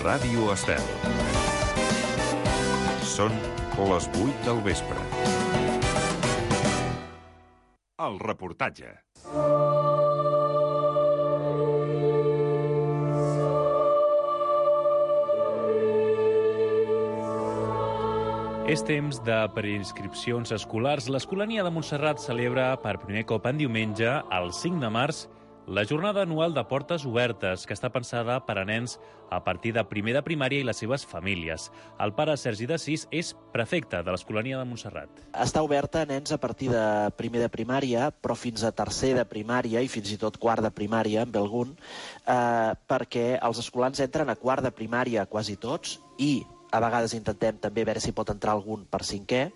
Ràdio Estel. Són les 8 del vespre. El reportatge. És temps de preinscripcions escolars. L'Escolania de Montserrat celebra per primer cop en diumenge, el 5 de març, la jornada anual de portes obertes, que està pensada per a nens a partir de primer de primària i les seves famílies. El pare Sergi d'Assís és prefecte de l'Escolania de Montserrat. Està oberta a nens a partir de primer de primària, però fins a tercer de primària i fins i tot quart de primària, amb algun, perquè els escolans entren a quart de primària quasi tots i a vegades intentem també veure si pot entrar algun per cinquè,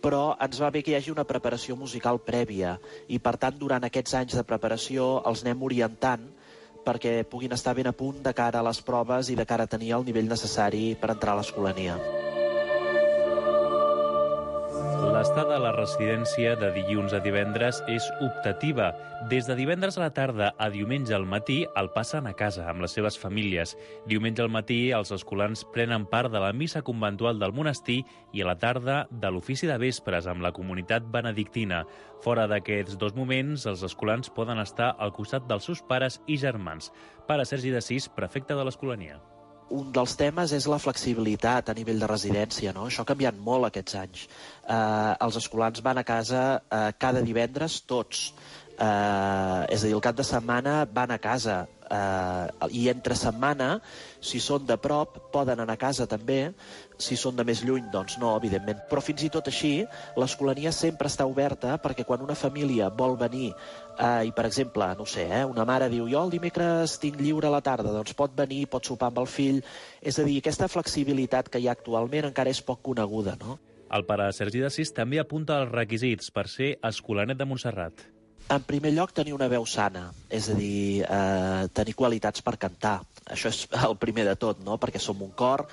però ens va bé que hi hagi una preparació musical prèvia i, per tant, durant aquests anys de preparació els anem orientant perquè puguin estar ben a punt de cara a les proves i de cara a tenir el nivell necessari per entrar a l'Escolania. L'estada a la residència de dilluns a divendres és optativa. Des de divendres a la tarda a diumenge al matí el passen a casa amb les seves famílies. Diumenge al matí els escolans prenen part de la missa conventual del monestir i a la tarda de l'ofici de vespres amb la comunitat benedictina. Fora d'aquests dos moments, els escolans poden estar al costat dels seus pares i germans. Pare Sergi d'Assís, prefecte de l'Escolania. Un dels temes és la flexibilitat a nivell de residència, no? Això ha canviat molt aquests anys. Els escolans van a casa cada divendres tots. És a dir, el cap de setmana van a casa. I entre setmana, si són de prop, poden anar a casa també. Si són de més lluny, doncs no, evidentment. Però fins i tot així, l'Escolania sempre està oberta perquè quan una família vol venir i, per exemple, no sé, una mare diu jo el dimecres tinc lliure a la tarda, doncs pot venir, pot sopar amb el fill. És a dir, aquesta flexibilitat que hi ha actualment encara és poc coneguda, no? El pare Sergi d'Assís també apunta els requisits per ser escolanet de Montserrat. En primer lloc, tenir una veu sana, és a dir, tenir qualitats per cantar. Això és el primer de tot, no? Perquè som un cor,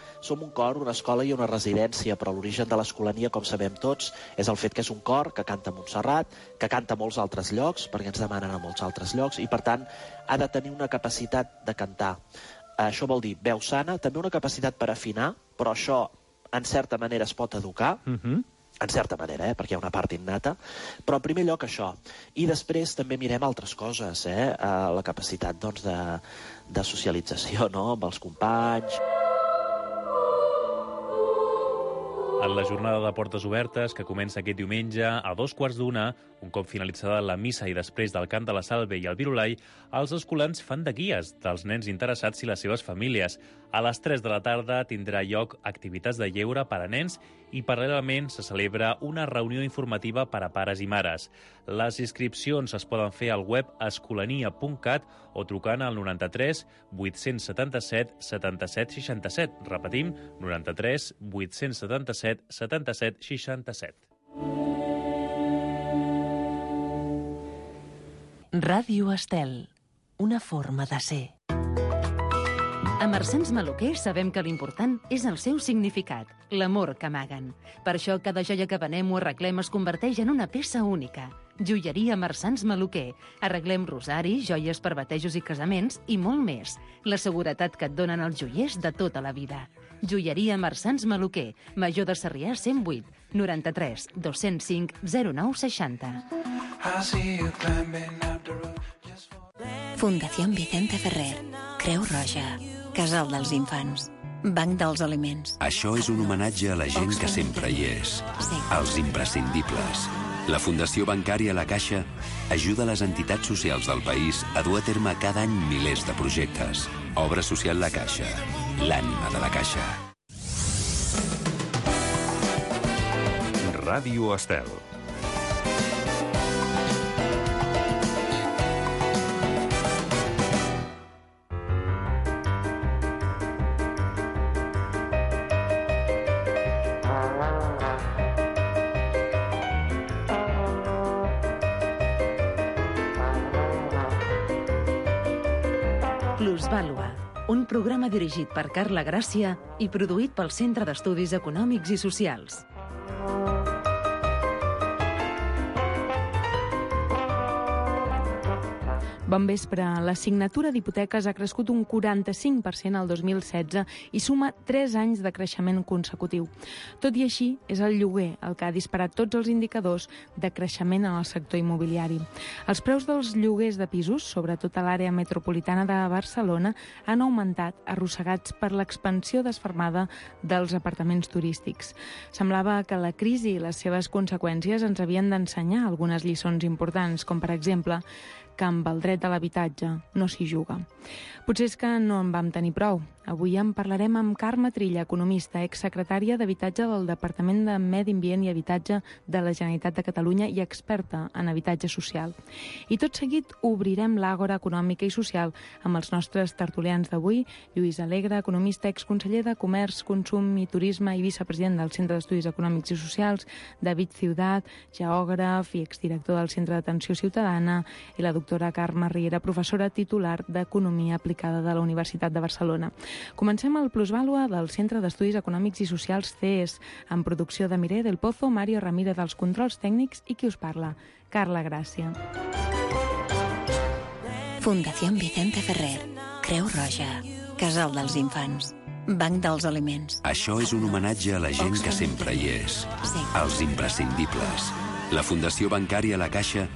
una escola i una residència, però l'origen de l'Escolania, com sabem tots, és el fet que és un cor que canta a Montserrat, que canta a molts altres llocs, perquè ens demanen a molts altres llocs, i per tant ha de tenir una capacitat de cantar. Això vol dir veu sana, també una capacitat per afinar, però això en certa manera es pot educar, en certa manera, perquè hi ha una part innata, però en primer lloc això. I després també mirem altres coses, la capacitat doncs, de socialització, no?, amb els companys. En la jornada de portes obertes, que comença aquest diumenge a 2:15, un cop finalitzada la missa i després del cant de la Salve i el Virulai, els escolans fan de guies dels nens interessats i les seves famílies. A les 3 de la tarda tindrà lloc activitats de lleure per a nens i paral·lelament se celebra una reunió informativa per a pares i mares. Les inscripcions es poden fer al web escolania.cat o trucant al 93 877 77 67. Repetim, 93 877 77 67. Ràdio Estel, una forma de ser. A Marsans Maluquer sabem que l'important és el seu significat, l'amor que amaguen. Per això cada joia que venem o arreglem es converteix en una peça única. Joieria Marsans Maluquer. Arreglem rosaris, joies per batejos i casaments i molt més. La seguretat que et donen els joiers de tota la vida. Joieria Marsans Maluquer, Major de Sarrià 108, 93 205 09 60. Fundación Vicente Ferrer, Creu Roja, Casal dels Infants, Banc dels Aliments. Això és un homenatge a la gent que sempre hi és, als imprescindibles. La Fundació Bancària La Caixa ajuda les entitats socials del país a dur a terme cada any milers de projectes. Obra social La Caixa, l'ànima de la Caixa. Ràdio Estel. Plusvàlua, un programa dirigit per Carla Gràcia i produït pel Centre d'Estudis Econòmics i Socials. Bon vespre. La signatura d'hipoteques ha crescut un 45% al 2016 i suma 3 anys de creixement consecutiu. Tot i així, és el lloguer el que ha disparat tots els indicadors de creixement en el sector immobiliari. Els preus dels lloguers de pisos, sobretot a l'àrea metropolitana de Barcelona, han augmentat, arrossegats per l'expansió desfermada dels apartaments turístics. Semblava que la crisi i les seves conseqüències ens havien d'ensenyar algunes lliçons importants, com per exemple que amb el dret a l'habitatge no s'hi juga. Potser és que no en vam tenir prou. Avui en parlarem amb Carme Trilla, economista, exsecretària d'Habitatge del Departament de Medi Ambient i Habitatge de la Generalitat de Catalunya i experta en habitatge social. I tot seguit obrirem l'àgora econòmica i social amb els nostres tertulians d'avui, Lluís Alegre, economista, exconseller de Comerç, Consum i Turisme i vicepresident del Centre d'Estudis Econòmics i Socials, David Ciudat, geògraf i exdirector del Centre d'Atenció Ciutadana, i la doctora Carme Riera, professora titular d'Economia Aplicada de la Universitat de Barcelona. Comencem el Plusvàlua del Centre d'Estudis Econòmics i Socials CES, amb producció de Mireia del Pozo, Mario Ramírez dels controls tècnics i qui us parla, Carla Gràcia. Fundació Vicente Ferrer, Creu Roja, Casal dels Infants, Banc dels Aliments. Això és un homenatge a la gent que sempre hi és, als imprescindibles. La Fundació Bancària La Caixa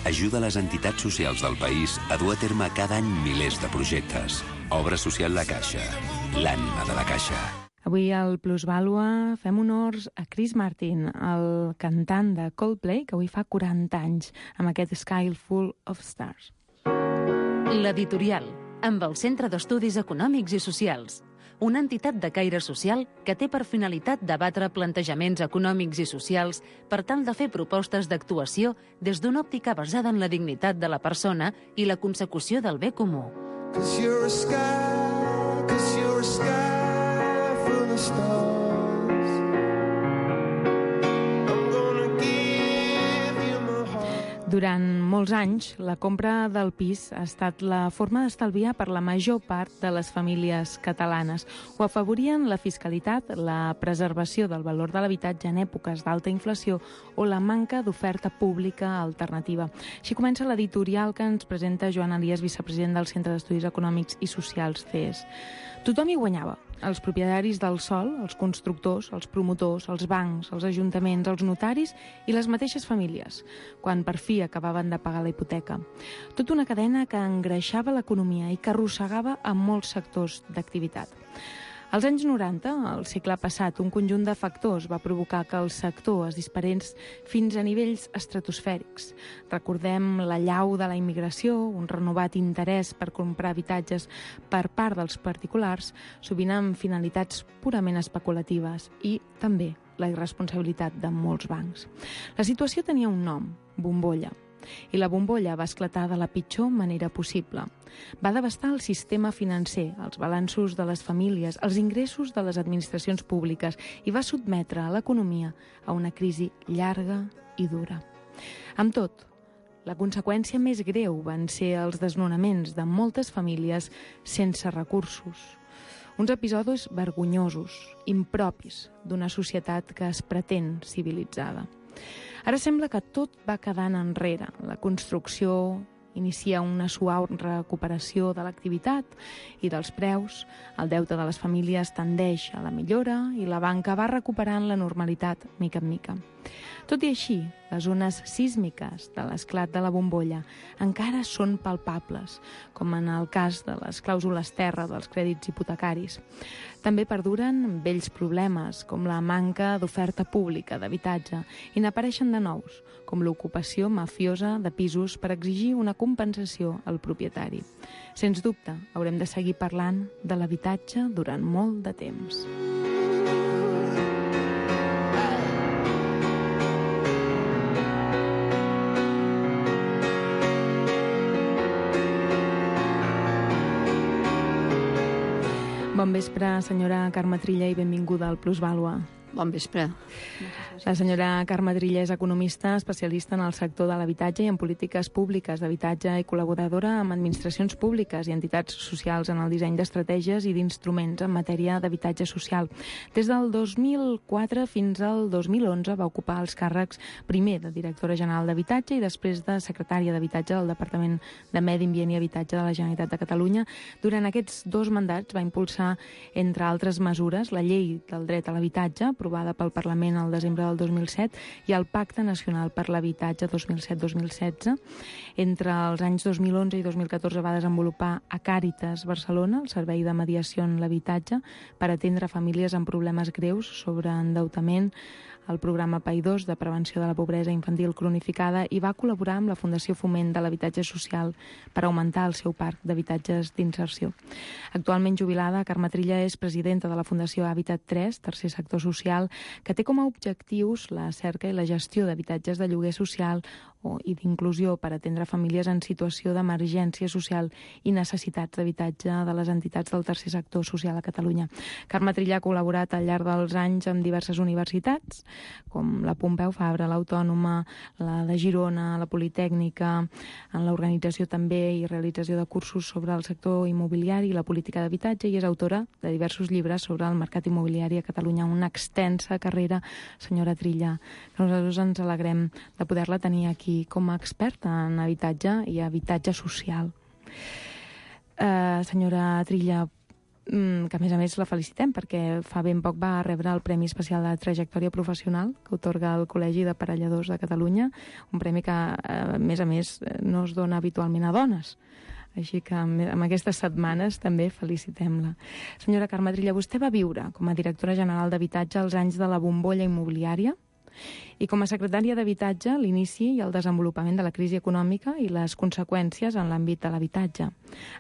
ajuda les entitats socials del país a dur a terme cada any milers de projectes. Obra social La Caixa, l'ànima de la Caixa. Avui al Plusvàlua fem honors a Chris Martin, el cantant de Coldplay, que avui fa 40 anys, amb aquest Sky Full of Stars. L'editorial, amb el Centre d'Estudis Econòmics i Socials, una entitat de caire social que té per finalitat debatre plantejaments econòmics i socials per tal de fer propostes d'actuació des d'una òptica basada en la dignitat de la persona i la consecució del bé comú. Durant molts anys, la compra del pis ha estat la forma d'estalviar per la major part de les famílies catalanes. Ho afavorien la fiscalitat, la preservació del valor de l'habitatge en èpoques d'alta inflació o la manca d'oferta pública alternativa. Així comença l'editorial que ens presenta Joan Elias, vicepresident del Centre d'Estudis Econòmics i Socials CES. Tothom hi guanyava. Els propietaris del sòl, els constructors, els promotors, els bancs, els ajuntaments, els notaris i les mateixes famílies, quan per fi acabaven de pagar la hipoteca. Tota una cadena que engreixava l'economia i que arrossegava a molts sectors d'activitat. Als anys 90, al segle passat, un conjunt de factors va provocar que el sector es disparés fins a nivells estratosfèrics. Recordem l'allau de la immigració, un renovat interès per comprar habitatges per part dels particulars, sovint amb finalitats purament especulatives, i també la irresponsabilitat de molts bancs. La situació tenia un nom, bombolla. I la bombolla va esclatar de la pitjor manera possible. Va devastar el sistema financer, els balanços de les famílies, els ingressos de les administracions públiques i va sotmetre a l'economia a una crisi llarga i dura. Amb tot, la conseqüència més greu van ser els desnonaments de moltes famílies sense recursos. Uns episodis vergonyosos, impropis d'una societat que es pretén civilitzada. Ara sembla que tot va quedant enrere. La construcció inicia una suau recuperació de l'activitat i dels preus, el deute de les famílies tendeix a la millora i la banca va recuperant la normalitat mica en mica. Tot i així, les ones sísmiques de l'esclat de la bombolla encara són palpables, com en el cas de les clàusules terra dels crèdits hipotecaris. També perduren vells problemes, com la manca d'oferta pública d'habitatge, i n'apareixen de nous, com l'ocupació mafiosa de pisos per exigir una compensació al propietari. Sens dubte, haurem de seguir parlant de l'habitatge durant molt de temps. Bon vespre, senyora Carme Trilla, i benvinguda al Plusvàlua. Bon vespre. La senyora Carme Trilla és economista, especialista en el sector de l'habitatge i en polítiques públiques d'habitatge i col·laboradora amb administracions públiques i entitats socials en el disseny d'estratègies i d'instruments en matèria d'habitatge social. Des del 2004 fins al 2011 va ocupar els càrrecs primer de directora general d'habitatge i després de secretària d'habitatge del Departament de Medi Ambient i Habitatge de la Generalitat de Catalunya. Durant aquests 2 mandats va impulsar, entre altres mesures, la llei del dret a l'habitatge, aprovada pel Parlament al desembre del 2007, i el Pacte Nacional per l'Habitatge 2007-2016. Entre els anys 2011 i 2014 va desenvolupar a Càritas Barcelona, el servei de mediació en l'habitatge, per atendre famílies amb problemes greus sobre endeutament, el programa PAI2 de prevenció de la pobresa infantil cronificada, i va col·laborar amb la Fundació Foment de l'Habitatge Social per augmentar el seu parc d'habitatges d'inserció. Actualment jubilada, Carme Trilla és presidenta de la Fundació Hàbitat 3, tercer sector social, que té com a objectius la cerca i la gestió d'habitatges de lloguer social i d'inclusió per atendre famílies en situació d'emergència social i necessitats d'habitatge de les entitats del tercer sector social a Catalunya. Carme Trilla ha col·laborat al llarg dels anys amb diverses universitats, com la Pompeu Fabra, l'Autònoma, la de Girona, la Politècnica, en l'organització també i realització de cursos sobre el sector immobiliari i la política d'habitatge, i és autora de diversos llibres sobre el mercat immobiliari a Catalunya. Una extensa carrera, senyora Trilla, que nosaltres ens alegrem de poder-la tenir aquí com a experta en habitatge i habitatge social. Senyora Trilla, que a més la felicitem perquè fa ben poc va rebre el Premi Especial de Trajectòria Professional que otorga el Col·legi d'Aparelladors de Catalunya, un premi que a més no es dona habitualment a dones. Així que amb aquestes setmanes també felicitem-la. Senyora Carme Trilla, vostè va viure com a directora general d'habitatge als anys de la bombolla immobiliària i com a secretària d'Habitatge l'inici i el desenvolupament de la crisi econòmica i les conseqüències en l'àmbit de l'habitatge.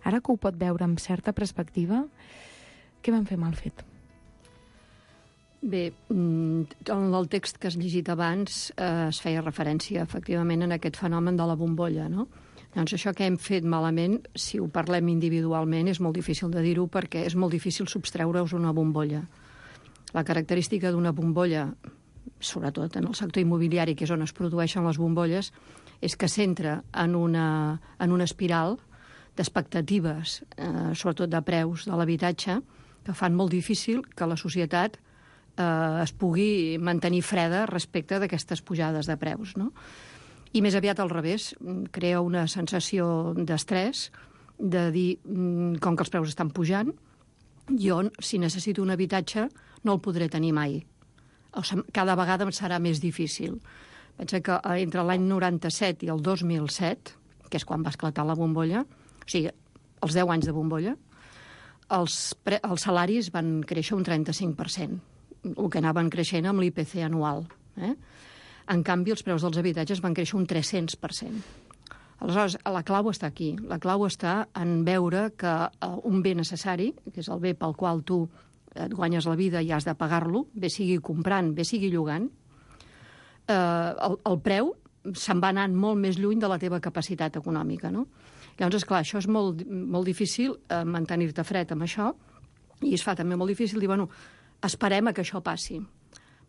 Ara que ho pot veure amb certa perspectiva, què van fer mal fet? Bé, en el text que has llegit abans es feia referència efectivament en aquest fenomen de la bombolla, no? Doncs això que hem fet malament, si ho parlem individualment, és molt difícil de dir-ho perquè és molt difícil substreure-us una bombolla. La característica d'una bombolla, sobretot en el sector immobiliari, que és on es produeixen les bombolles, és que s'entra en una espiral d'expectatives, sobretot de preus de l'habitatge, que fan molt difícil que la societat es pugui mantenir freda respecte d'aquestes pujades de preus, no? I més aviat al revés, crea una sensació d'estrès, de dir, com que els preus estan pujant, jo, si necessito un habitatge, no el podré tenir mai. O sigui, cada vegada em serà més difícil. Pensa que entre l'any 97 i el 2007, que és quan va esclatar la bombolla, o sigui, els 10 anys de bombolla, els salaris van créixer un 35%, el que anaven creixent amb l'IPC anual. En canvi, els preus dels habitatges van créixer un 300%. Aleshores, la clau està aquí. La clau està en veure que un bé necessari, que és el bé pel qual tu et guanyes la vida i has de pagar-lo, bé sigui comprant, bé sigui llogant, el preu se'n va anant molt més lluny de la teva capacitat econòmica, no? Llavors, esclar, això és molt, molt difícil mantenir-te fred amb això, i es fa també molt difícil dir, bueno, esperem a que això passi.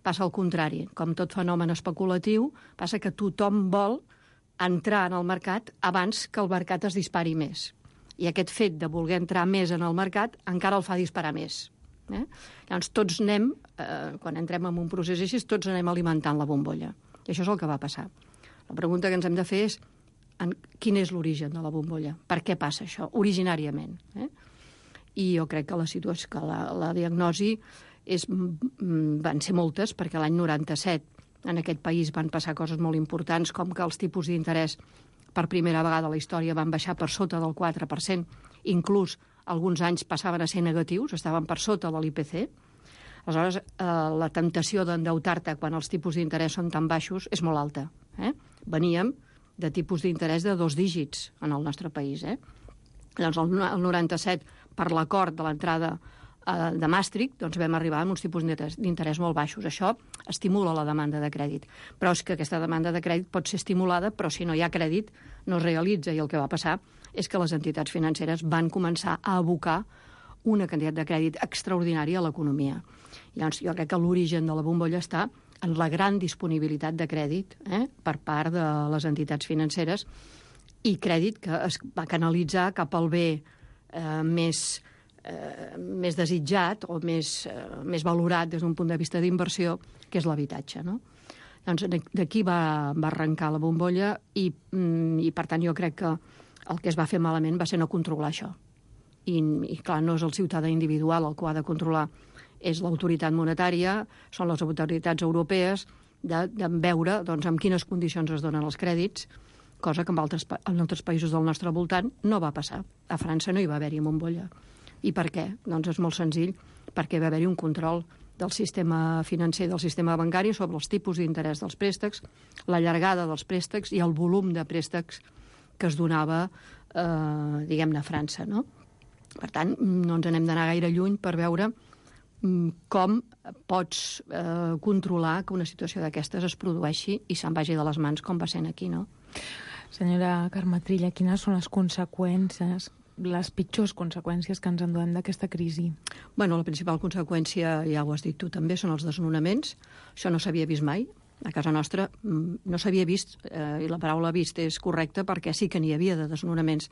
Passa al contrari. Com tot fenomen especulatiu, passa que tothom vol entrar en el mercat abans que el mercat es dispari més. I aquest fet de voler entrar més en el mercat encara el fa disparar més. Llavors, tots anem, quan entrem en un procés així, tots anem alimentant la bombolla. I això és el que va passar. La pregunta que ens hem de fer és quin és l'origen de la bombolla? Per què passa això, originàriament? I jo crec que la situació, que la diagnosi van ser moltes, perquè l'any 97 en aquest país van passar coses molt importants, com que els tipus d'interès per primera vegada a la història van baixar per sota del 4%, inclús alguns anys passaven a ser negatius, estaven per sota de l'IPC. Aleshores, la temptació d'endeutar-te quan els tipus d'interès són tan baixos és molt alta. Veníem de tipus d'interès de 2 dígits en el nostre país. Llavors, el 97, per l'acord de l'entrada de Maastricht, doncs vam arribar amb uns tipus d'interès molt baixos. Això estimula la demanda de crèdit. Però és que aquesta demanda de crèdit pot ser estimulada, però si no hi ha crèdit no es realitza. I el que va passar és que les entitats financeres van començar a abocar una quantitat de crèdit extraordinària a l'economia. Llavors, jo crec que l'origen de la bombolla està en la gran disponibilitat de crèdit per part de les entitats financeres i crèdit que es va canalitzar cap al bé més desitjat o més valorat des d'un punt de vista d'inversió, que és l'habitatge, no? Doncs d'aquí va arrencar la bombolla i per tant jo crec que el que es va fer malament va ser no controlar això. I clar, no és el ciutadà individual el que ho ha de controlar, és l'autoritat monetària, són les autoritats europees, de veure doncs, en quines condicions es donen els crèdits, cosa que en altres països del nostre voltant no va passar. A França no hi va haver-hi bombolla. I per què? Doncs és molt senzill, perquè va haver-hi un control del sistema financer, del sistema bancari, sobre els tipus d'interès dels préstecs, la llargada dels préstecs i el volum de préstecs que es donava, diguem-ne, a França, no? Per tant, no ens n'hem d'anar gaire lluny per veure com pots controlar que una situació d'aquestes es produeixi i se'n vagi de les mans com va sent aquí, no? Senyora Carme Trilla, quines són les conseqüències, les pitjors conseqüències que ens enduem d'aquesta crisi? Bueno, la principal conseqüència, ja ho has dit tu també, són els desnonaments. Això no s'havia vist mai. A casa nostra no s'havia vist, i la paraula vist és correcta perquè sí que n'hi havia de desnonaments.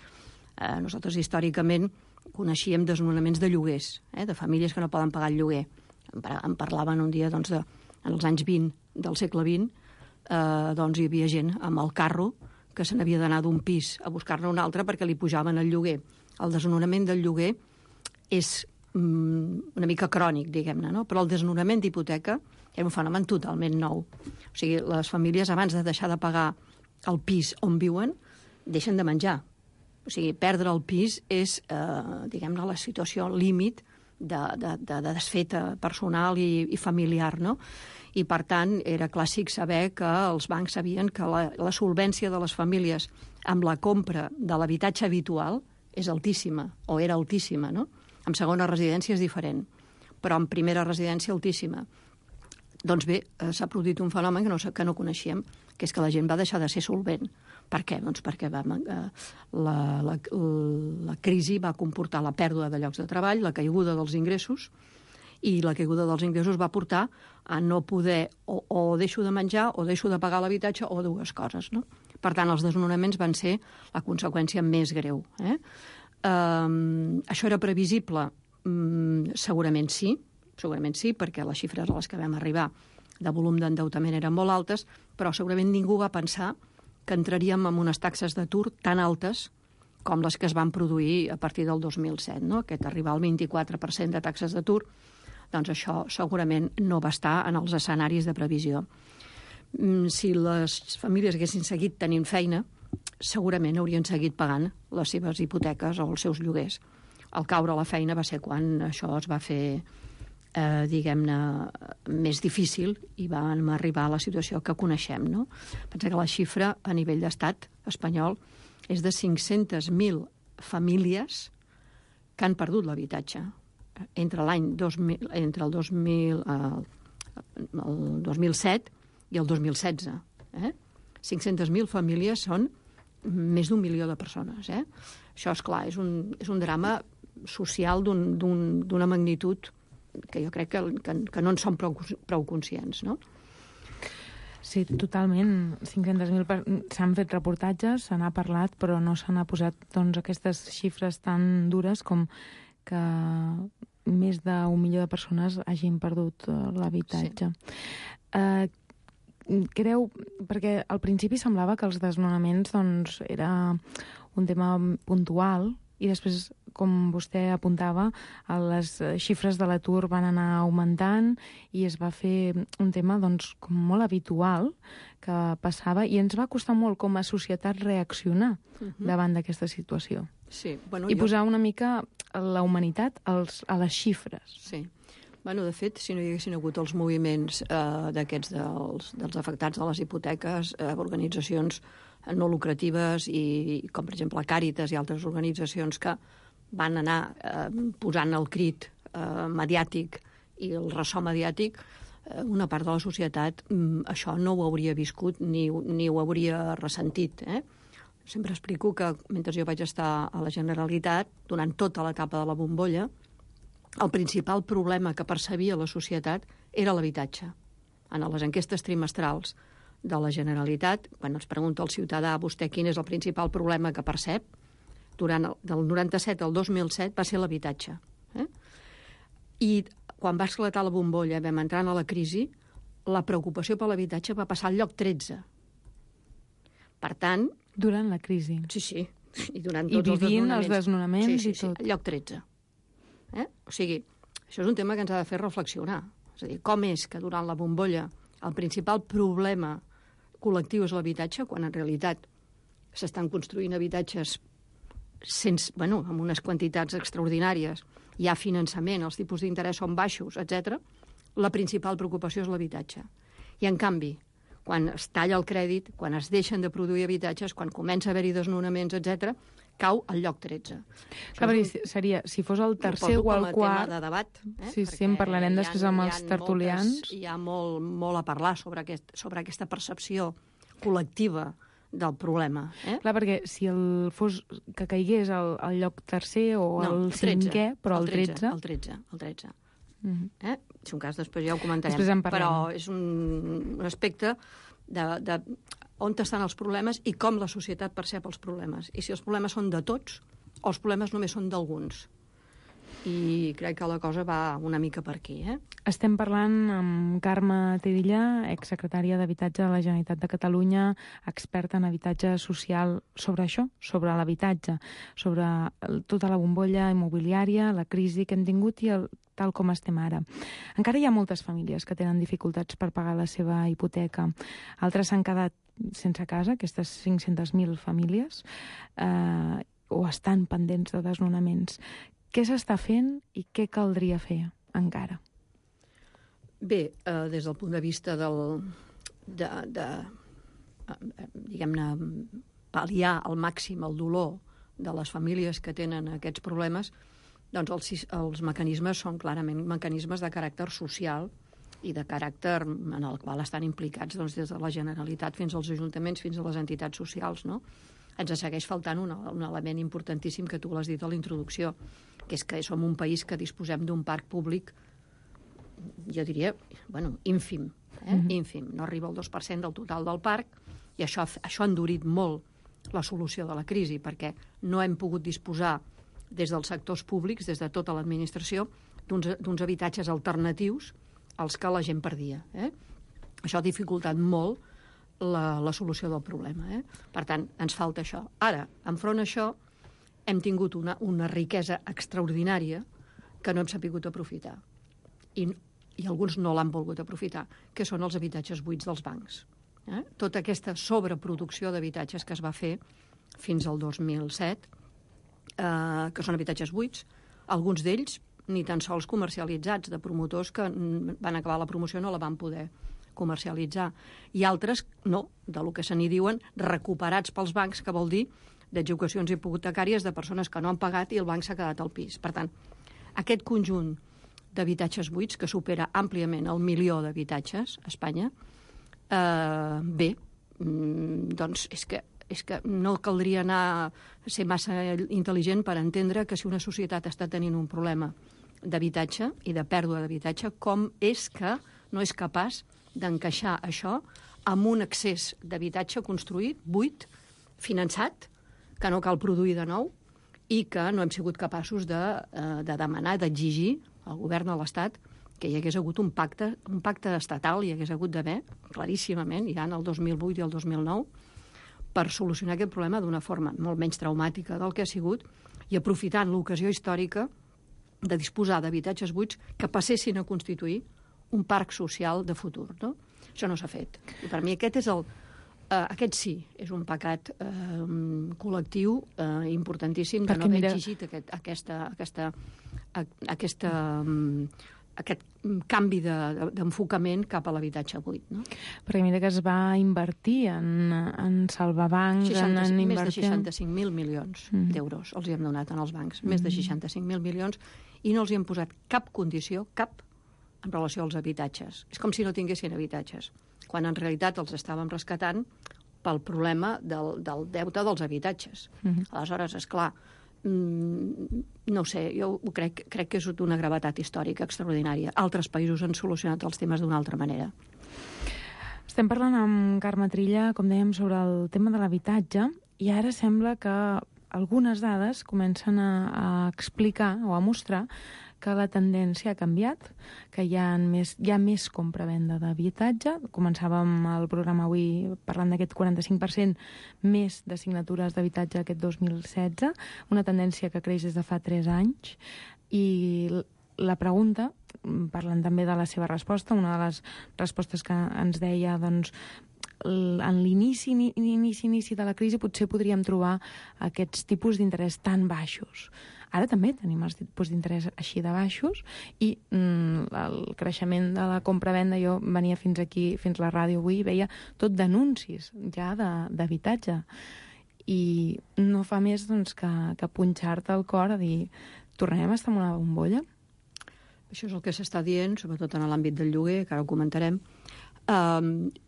Nosaltres històricament coneixíem desnonaments de lloguers, de famílies que no poden pagar el lloguer. Em parlaven un dia, doncs, en els anys 20 del segle XX, doncs hi havia gent amb el carro que se n'havia d'anar d'un pis a buscar-ne un altre perquè li pujaven el lloguer. El desnonament del lloguer és una mica crònic, diguem-ne, no? Però el desnonament d'hipoteca era un fenomen totalment nou. O sigui, les famílies, abans de deixar de pagar el pis on viuen, deixen de menjar. O sigui, perdre el pis és, diguem-ne, la situació límit de desfeta personal i familiar, no? I, per tant, era clàssic saber que els bancs sabien que la solvència de les famílies amb la compra de l'habitatge habitual és altíssima, o era altíssima, no? En segona residència és diferent, però en primera residència altíssima. Doncs bé, s'ha produït un fenomen que no coneixíem, que és que la gent va deixar de ser solvent. Per què? Doncs perquè la crisi va comportar la pèrdua de llocs de treball, la caiguda dels ingressos, i la caiguda dels ingressos va portar a no poder o deixo de menjar o deixo de pagar l'habitatge o dues coses, no? Per tant, els desnonaments van ser la conseqüència més greu. Això era previsible? Segurament sí, perquè les xifres a les que vam arribar de volum d'endeutament eren molt altes, però segurament ningú va pensar que entraríem en unes taxes d'atur tan altes com les que es van produir a partir del 2007, no? Aquest arribar al 24% de taxes d'atur, doncs això segurament no va estar en els escenaris de previsió. Si les famílies haguessin seguit tenint feina, segurament haurien seguit pagant les seves hipoteques o els seus lloguers. Al caure la feina va ser quan això es va fer, diguem-ne, més difícil i vam arribar a la situació que coneixem, no? Pensa que la xifra a nivell d'estat espanyol és de 500.000 famílies que han perdut l'habitatge entre el 2007 i el 2016. 500.000 famílies són més d'1 milió de persones. Això, esclar, és un drama social d'una magnitud que jo crec que no en som prou conscients, no? Sí, totalment. 500.000 s'han fet reportatges, se n'ha parlat, però no se n'ha posat aquestes xifres tan dures com que més d'1 milió de persones hagin perdut l'habitatge. Sí. Creu, perquè al principi semblava que els desnonaments era un tema puntual i després, com vostè apuntava, les xifres de l'atur van anar augmentant i es va fer un tema com molt habitual que passava i ens va costar molt com a societat reaccionar davant d'aquesta situació. Sí, i posar una mica la humanitat a les xifres. Sí. De fet, si no hi haguessin hagut els moviments d'aquests dels afectats de les hipoteques, organitzacions no lucratives com per exemple Càritas i altres organitzacions que van anar posant el crit mediàtic i el ressò mediàtic, una part de la societat això no ho hauria viscut ni ho hauria ressentit. Sempre explico que mentre jo vaig estar a la Generalitat, durant tota l'etapa de la bombolla, el principal problema que percebia la societat era l'habitatge. En les enquestes trimestrals de la Generalitat, quan ens pregunta el ciutadà vostè quin és el principal problema que percep, del 97 al 2007 va ser l'habitatge. I quan va esclatar la bombolla, vam entrar a la crisi, la preocupació per l'habitatge va passar al lloc 13. Per tant... Durant la crisi. Sí. I durant tots els desnonaments. Els desnonaments i tot. Sí, al lloc 13. O sigui, això és un tema que ens ha de fer reflexionar. És a dir, com és que durant la bombolla el principal problema col·lectiu és l'habitatge, quan en realitat s'estan construint habitatges amb unes quantitats extraordinàries, hi ha finançament, els tipus d'interès són baixos, etc. La principal preocupació és l'habitatge. I, en canvi, quan es talla el crèdit, quan es deixen de produir habitatges, quan comença a haver-hi desnonaments, etc., cau al lloc 13. Seria, si fos el tercer o el quart... Tema de debat. Sí, en parlarem després amb els tertulians. Hi ha molt a parlar sobre aquesta percepció col·lectiva del problema. Clar, perquè si fos que caigués al lloc tercer o al cinquè, però al 13... El 13. Si un cas, després ja ho comentarem. Però és un aspecte de on estan els problemes i com la societat percep els problemes. I si els problemes són de tots o els problemes només són d'alguns. I crec que la cosa va una mica per aquí. Estem parlant amb Carme Tirilla, exsecretària d'Habitatge de la Generalitat de Catalunya, experta en habitatge social, sobre això, sobre l'habitatge, sobre tota la bombolla immobiliària, la crisi que hem tingut i tal com estem ara. Encara hi ha moltes famílies que tenen dificultats per pagar la seva hipoteca. Altres s'han quedat sense casa, aquestes 500.000 famílies, o estan pendents de desnonaments. Què s'està fent i què caldria fer encara? Bé, des del punt de vista diguem-ne, pal·liar al màxim el dolor de les famílies que tenen aquests problemes, doncs els mecanismes són clarament mecanismes de caràcter social i de caràcter en el qual estan implicats des de la Generalitat fins als ajuntaments, fins a les entitats socials, no? Ens segueix faltant un element importantíssim que tu l'has dit a la introducció, que és que som un país que disposem d'un parc públic, jo diria, ínfim, ínfim. No arriba al 2% del total del parc, i això ha endurit molt la solució de la crisi, perquè no hem pogut disposar des dels sectors públics, des de tota l'administració, d'uns habitatges alternatius als que la gent perdia. Això ha dificultat molt la solució del problema. Per tant, ens falta això. Ara, enfront a això, hem tingut una riquesa extraordinària que no hem sabut aprofitar. I alguns no l'han volgut aprofitar, que són els habitatges buits dels bancs. Tota aquesta sobreproducció d'habitatges que es va fer fins al 2007, que són habitatges buits, alguns d'ells ni tan sols comercialitzats, de promotors que van acabar la promoció no la van poder comercialitzar. I altres, no, del que se n'hi diuen, recuperats pels bancs, que vol dir d'execucions hipotecàries de persones que no han pagat i el banc s'ha quedat al pis. Per tant, aquest conjunt d'habitatges buits, que supera àmpliament el 1.000.000 d'habitatges a Espanya, doncs és que no caldria ser massa intel·ligent per entendre que si una societat està tenint un problema d'habitatge i de pèrdua d'habitatge, com és que no és capaç d'encaixar això amb un excés d'habitatge construït, buit, finançat, que no cal produir de nou i que no hem sigut capaços de demanar, d'exigir al govern de l'Estat que hi hagués hagut un pacte estatal, hi hagués hagut d'haver, claríssimament, ja en el 2008 i el 2009, per solucionar aquest problema d'una forma molt menys traumàtica del que ha sigut i aprofitant l'ocasió històrica de disposar d'habitatges buits que passessin a constituir un parc social de futur, no? Això no s'ha fet. I per mi aquest sí, és un pecat col·lectiu importantíssim de no haver exigit aquest canvi d'enfocament cap a l'habitatge buit. No? Perquè mira que es va invertir en salvar bancs... Més de 65.000 milions d'euros els hi hem donat als bancs. Més de 65.000 milions i no els hi hem posat cap condició, cap, en relació als habitatges. És com si no tinguessin habitatges, quan en realitat els estàvem rescatant pel problema del deute dels habitatges. Aleshores, esclar, no sé, jo crec que és una gravetat històrica extraordinària. Altres països han solucionat els temes d'una altra manera. Estem parlant amb Carme Trilla, com dèiem, sobre el tema de l'habitatge, i ara sembla que algunes dades comencen a explicar o a mostrar que la tendència ha canviat, que hi ha més compra-venda d'habitatge. Començàvem el programa avui parlant d'aquest 45% més de signatures d'habitatge aquest 2016, una tendència que creix des de fa 3 anys, i la pregunta, parlant també de la seva resposta, una de les respostes que ens deia, doncs, en l'inici de la crisi potser podríem trobar aquests tipus d'interès tan baixos. Ara també tenim els tipus d'interès així de baixos i el creixement de la compra-venda, jo venia fins aquí, fins la ràdio avui, i veia tot d'anuncis ja d'habitatge. I no fa més doncs, que punxar-te al cor a dir tornem a estar en una bombolla? Això és el que s'està dient, sobretot en l'àmbit del lloguer, que ara ho comentarem.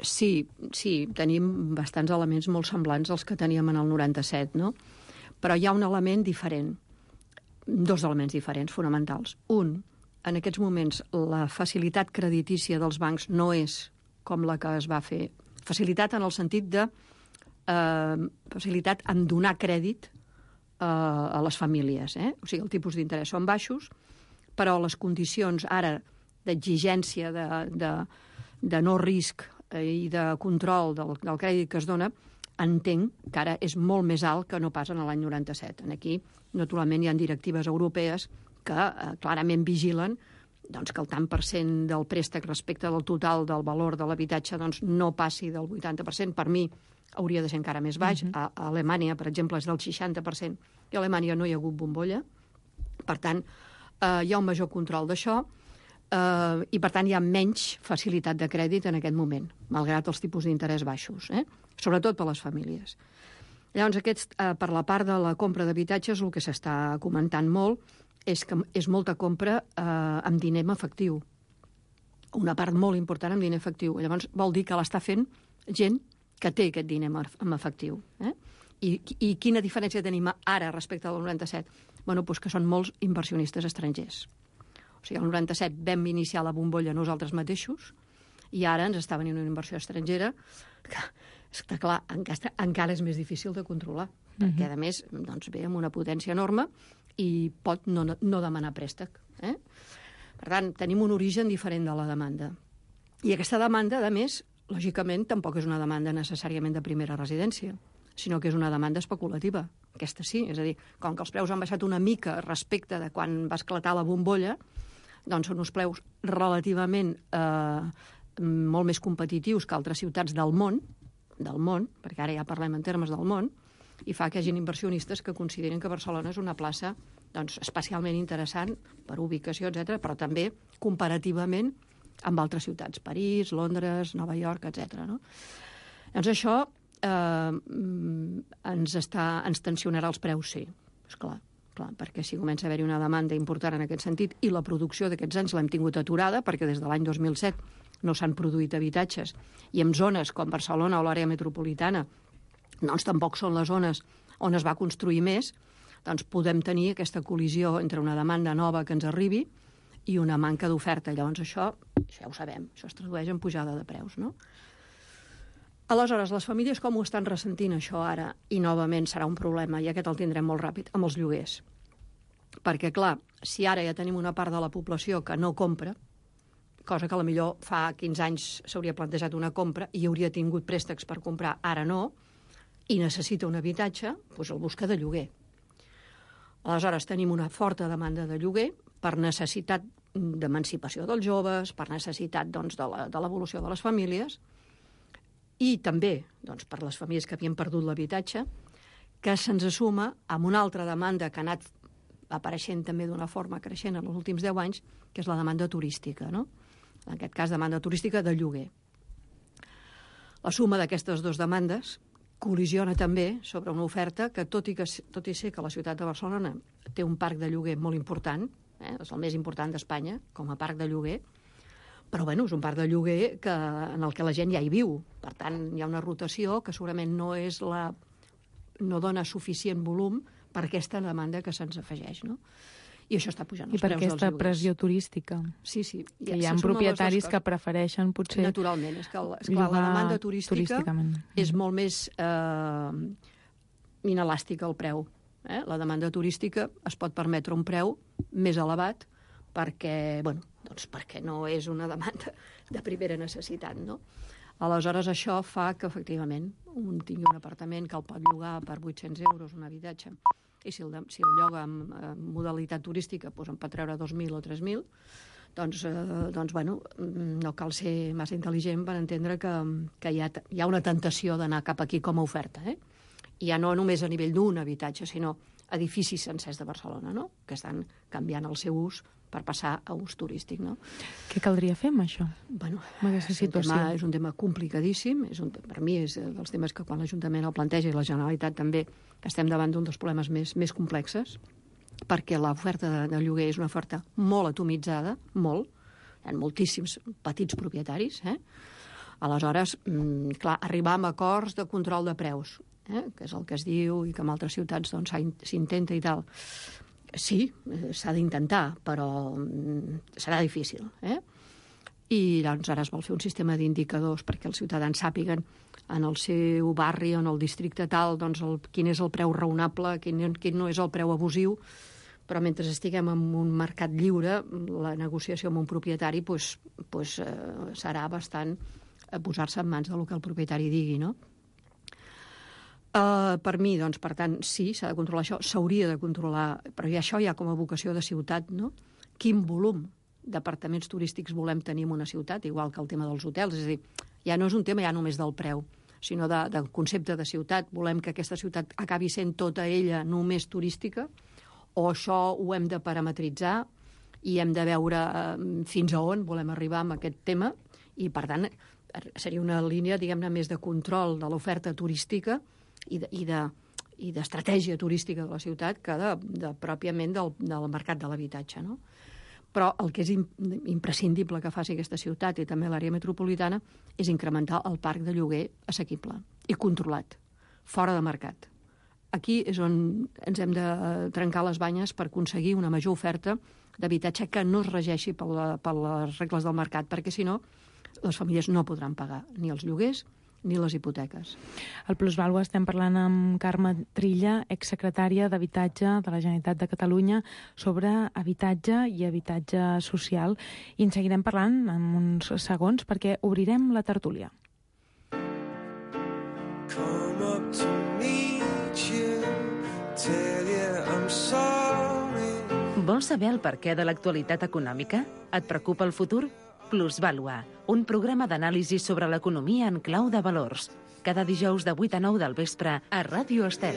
Sí, tenim bastants elements molt semblants als que teníem en el 97, no? Però hi ha un element diferent, 2 elements diferents, fonamentals. Un, en aquests moments, la facilitat creditícia dels bancs no és com la que es va fer. Facilitat en el sentit de facilitat en donar crèdit a les famílies. O sigui, el tipus d'interès són baixos, però les condicions ara d'exigència, de no risc i de control del crèdit que es dona, entenc que ara és molt més alt que no pas en l'any 97. Aquí, naturalment, hi ha directives europees que clarament vigilen doncs, que el tant per cent del préstec respecte del total del valor de l'habitatge doncs, no passi del 80%. Per mi hauria de ser encara més baix. A Alemanya, per exemple, és del 60%. I a Alemanya no hi ha hagut bombolla. Per tant, hi ha un major control d'això. I, per tant, hi ha menys facilitat de crèdit en aquest moment, malgrat els tipus d'interès baixos, sobretot per les famílies. Llavors, per la part de la compra d'habitatges, el que s'està comentant molt és que és molta compra amb diner en efectiu. Una part molt important amb diner efectiu. Llavors, vol dir que l'està fent gent que té aquest diner en efectiu. I quina diferència tenim ara respecte al 97? Bueno, doncs que són molts inversionistes estrangers. O sigui, el 97 vam iniciar la bombolla nosaltres mateixos i ara ens està venint una inversió estrangera que, està clar, encara és més difícil de controlar, perquè, a més, doncs, ve amb una potència enorme i pot no demanar préstec. Per tant, tenim un origen diferent de la demanda. I aquesta demanda, a més, lògicament, tampoc és una demanda necessàriament de primera residència, sinó que és una demanda especulativa. Aquesta sí, és a dir, com que els preus han baixat una mica respecte de quan va esclatar la bombolla, doncs són uns preus relativament molt més competitius que altres ciutats del món, perquè ara ja parlem en termes del món, i fa que hi hagi inversionistes que consideren que Barcelona és una plaça doncs, especialment interessant per ubicació, etc., però també comparativament amb altres ciutats, París, Londres, Nova York, etc. No? Doncs això ens tensionarà els preus, sí, esclar. Perquè si comença a haver-hi una demanda important en aquest sentit i la producció d'aquests anys l'hem tingut aturada perquè des de l'any 2007 no s'han produït habitatges i en zones com Barcelona o l'àrea metropolitana doncs tampoc són les zones on es va construir més, doncs podem tenir aquesta col·lisió entre una demanda nova que ens arribi i una manca d'oferta. Llavors això ja ho sabem, això es tradueix en pujada de preus, no? Aleshores, les famílies com ho estan ressentint això ara? I novament serà un problema, i aquest el tindrem molt ràpid, amb els lloguers. Perquè, clar, si ara ja tenim una part de la població que no compra, cosa que potser fa 15 anys s'hauria plantejat una compra i hauria tingut préstecs per comprar, ara no, i necessita un habitatge, doncs el busca de lloguer. Aleshores, tenim una forta demanda de lloguer per necessitat d'emancipació dels joves, per necessitat doncs, de l'evolució de les famílies, i també doncs, per les famílies que havien perdut l'habitatge, que se'ns suma amb una altra demanda que ha anat apareixent també d'una forma creixent en els últims 10 anys, que és la demanda turística, no? En aquest cas, demanda turística de lloguer. La suma d'aquestes dues demandes col·lisiona també sobre una oferta que, tot i ser que la ciutat de Barcelona té un parc de lloguer molt important, és el més important d'Espanya com a parc de lloguer, però bueno, és un parc de lloguer en el que la gent ja hi viu. Per tant, hi ha una rotació que segurament no dona suficient volum per aquesta demanda que se'ns afegeix, no? I això està pujant els preus dels lloguers. I per aquesta pressió turística. Sí, sí. Que hi ha propietaris que prefereixen potser... Naturalment, és clar, la demanda turística és molt més inelàstica al preu. La demanda turística es pot permetre un preu més elevat perquè, doncs perquè no és una demanda de primera necessitat, no? Aleshores, això fa que, efectivament, un tingui un apartament que el pot llogar per 800 euros, un habitatge, i si el lloga en modalitat turística doncs en pot treure 2.000 o 3.000, doncs no cal ser massa intel·ligent per entendre que hi ha una tentació d'anar cap aquí com a oferta, ja no només a nivell d'un habitatge, sinó edificis sencers de Barcelona, no? Que estan canviant el seu ús per passar a ús turístic, no? Què caldria fer amb això? És un tema complicadíssim, per mi és dels temes que quan l'Ajuntament el planteja i la Generalitat també estem davant d'un dels problemes més complexes, perquè l'oferta de lloguer és una oferta molt atomitzada, molt, hi ha moltíssims petits propietaris, Aleshores, clar, arribar a acords de control de preus, que és el que es diu i que en altres ciutats s'intenta i tal. Sí, s'ha d'intentar, però serà difícil. I doncs ara es vol fer un sistema d'indicadors perquè els ciutadans sàpiguen en el seu barri o en el districte tal quin és el preu raonable, quin no és el preu abusiu, però mentre estiguem en un mercat lliure, la negociació amb un propietari serà bastant posar-se en mans del que el propietari digui, no? Per mi, doncs, per tant, sí, s'ha de controlar això, s'hauria de controlar, però això ja com a vocació de ciutat, no? Quin volum d'apartaments turístics volem tenir en una ciutat, igual que el tema dels hotels, és a dir, ja no és un tema ja només del preu, sinó del concepte de ciutat. Volem que aquesta ciutat acabi sent tota ella només turística, o això ho hem de parametritzar i hem de veure fins a on volem arribar amb aquest tema, i per tant seria una línia, diguem-ne, més de control de l'oferta turística i d'estratègia turística de la ciutat que pròpiament del mercat de l'habitatge, no? Però el que és imprescindible que faci aquesta ciutat i també l'àrea metropolitana és incrementar el parc de lloguer assequible i controlat, fora de mercat. Aquí és on ens hem de trencar les banyes per aconseguir una major oferta d'habitatge que no es regeixi per les regles del mercat, perquè si no les famílies no podran pagar ni els lloguers ni les hipoteques. Al Plusvàlua estem parlant amb Carme Trilla, exsecretària d'Habitatge de la Generalitat de Catalunya, sobre habitatge i habitatge social. I en seguirem parlant en uns segons perquè obrirem la tertúlia. Vols saber el perquè de l'actualitat econòmica? Et preocupa el futur? Plusvàlua, un programa d'anàlisi sobre l'economia en clau de valors. Cada dijous de 8 a 9 del vespre a Ràdio Estel.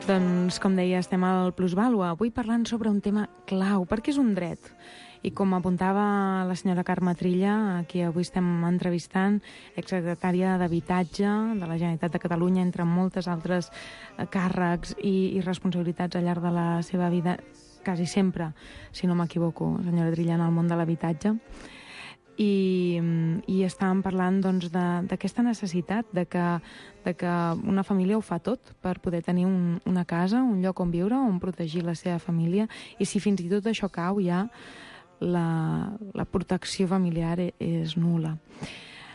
Doncs, com deia, estem al Plusvàlua, avui parlant sobre un tema clau, perquè és un dret. I com apuntava la senyora Carme Trilla, a qui avui estem entrevistant, exsecretària d'Habitatge de la Generalitat de Catalunya, entre moltes altres càrrecs i responsabilitats al llarg de la seva vida, quasi sempre, si no m'equivoco, senyora Trilla, en el món de l'habitatge. I estàvem parlant doncs, d'aquesta necessitat de que una família ho fa tot per poder tenir una casa, un lloc on viure, on protegir la seva família, i si fins i tot això cau ja la protecció familiar és nul·la.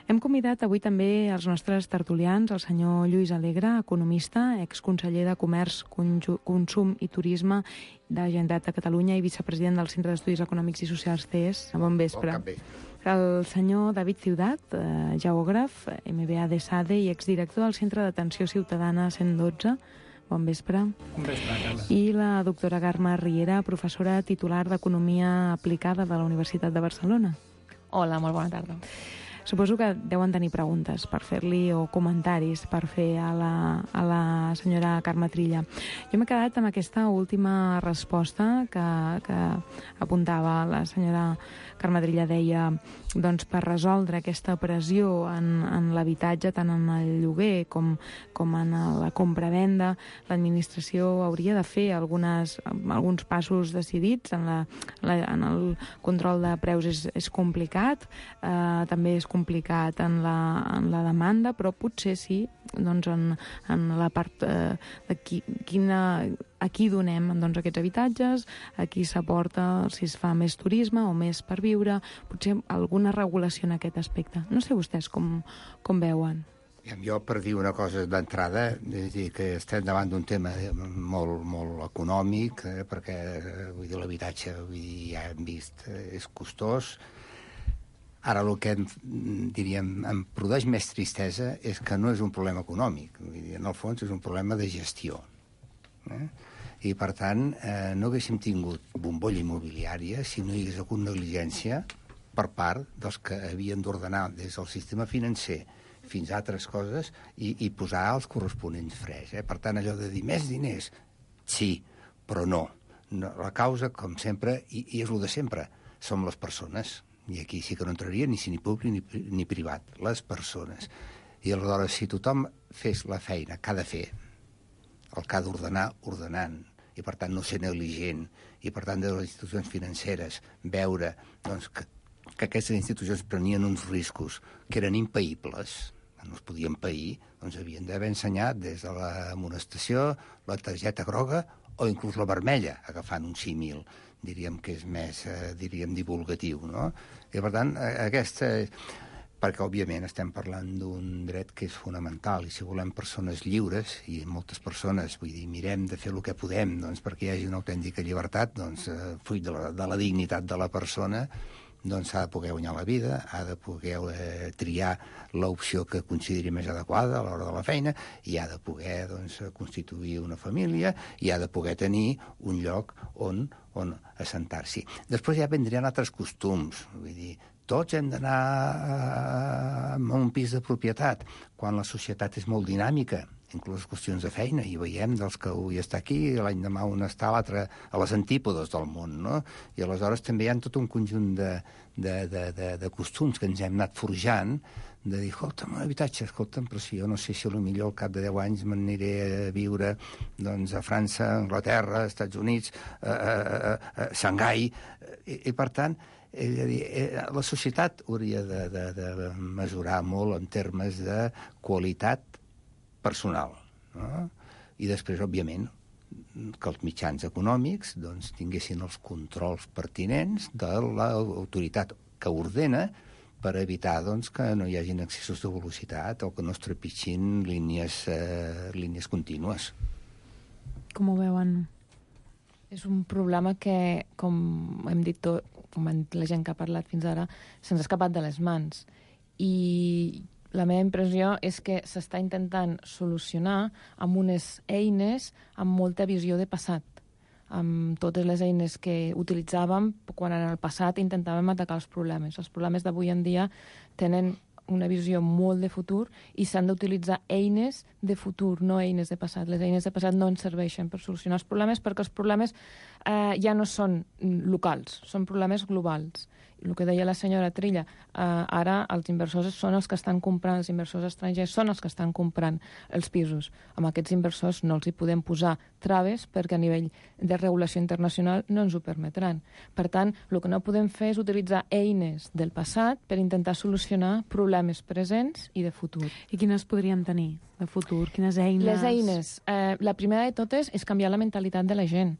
Hem convidat avui també els nostres tertulians, el senyor Lluís Alegre, economista, exconseller de Comerç, Consum i Turisme de la Generalitat de Catalunya i vicepresident del Centre d'Estudis Econòmics i Socials CES. Bon vespre. El senyor David Ciudat, geògraf, MBA de SADE i exdirector del Centre d'Atenció Ciutadana 112. Bon vespre. Bon vespre, Carla. I la doctora Carme Riera, professora titular d'Economia Aplicada de la Universitat de Barcelona. Hola, molt bona tarda. Suposo que deuen tenir preguntes per fer-li o comentaris per fer a la senyora Carme Trilla. Jo m'he quedat amb aquesta última resposta que apuntava la senyora Carme Trilla. Deia, doncs, per resoldre aquesta pressió en l'habitatge, tant en el lloguer com en la compra-venda, l'administració hauria de fer alguns passos decidits. En el control de preus és complicat, també és complicat en la demanda, però potser sí, doncs en la part de a qui donem doncs, aquests habitatges, a qui s'aporta, si es fa més turisme o més per viure, potser alguna regulació en aquest aspecte. No sé vostès com veuen. Jo, per dir una cosa d'entrada, és dir que estem davant d'un tema molt, molt econòmic, perquè vull dir, l'habitatge, ja hem vist, és costós. Ara el que diríem em produeix més tristesa és que no és un problema econòmic. Vull dir, en el fons és un problema de gestió. I, per tant, no haguéssim tingut bombolla immobiliària si no hi hagués hagut negligència per part dels que havien d'ordenar des del sistema financer fins a altres coses i posar els corresponents freds. Per tant, allò de dir més diners, sí, però no. La causa, com sempre, i és el de sempre, som les persones. I aquí sí que no entraria ni públic ni privat, les persones. I aleshores, si tothom fes la feina que ha de fer, el que ha d'ordenar, ordenant, i per tant no ser negligent, i per tant de les institucions financeres veure doncs, que aquestes institucions prenien uns riscos que eren impaïbles, no es podien pair, doncs havien d'haver ensenyat des de l'amonestació, la targeta groga o inclús la vermella, agafant un símil, diríem que és més, divulgatiu, no? I per tant, perquè òbviament estem parlant d'un dret que és fonamental, i si volem persones lliures, i moltes persones, vull dir, mirem de fer el que podem doncs, perquè hi hagi una autèntica llibertat, doncs, fruit de la dignitat de la persona, doncs ha de poder guanyar la vida, ha de poder triar l'opció que consideri més adequada a l'hora de la feina, i ha de poder constituir una família, i ha de poder tenir un lloc on assentar-s'hi. Després ja vindrien altres costums, vull dir, tots hem d'anar a un pis de propietat, quan la societat és molt dinàmica, inclús qüestions de feina, i veiem dels que avui està aquí, l'any demà un està, l'altre a les antípodes del món, no? I aleshores també hi ha tot un conjunt de costums que ens hem anat forjant, de dir, escolta'm, un habitatge, però si jo no sé si potser al cap de 10 anys m'aniré a viure doncs, a França, a Anglaterra, als Estats Units, a Xangai, i per tant, la societat hauria de mesurar molt en termes de qualitat personal, no? I després, òbviament, que els mitjans econòmics doncs, tinguessin els controls pertinents de l'autoritat que ordena per evitar doncs, que no hi hagin excessos de velocitat o que no es trepitgin línies contínues. Com ho veuen? És un problema que, com hem dit tot, com la gent que ha parlat fins ara, se'ns ha escapat de les mans. I la meva impressió és que s'està intentant solucionar amb unes eines amb molta visió de passat, amb totes les eines que utilitzàvem quan en el passat intentàvem atacar els problemes. Els problemes d'avui en dia tenen una visió molt de futur i s'han d'utilitzar eines de futur, no eines de passat. Les eines de passat no ens serveixen per solucionar els problemes perquè els problemes ja no són locals, són problemes globals. El que deia la senyora Trilla, ara els inversors són els que estan comprant, els inversors estrangers són els que estan comprant els pisos. Amb aquests inversors no els hi podem posar traves perquè a nivell de regulació internacional no ens ho permetran. Per tant, el que no podem fer és utilitzar eines del passat per intentar solucionar problemes presents i de futur. I quines podríem tenir de futur? Quines eines? Les eines. La primera de totes és canviar la mentalitat de la gent.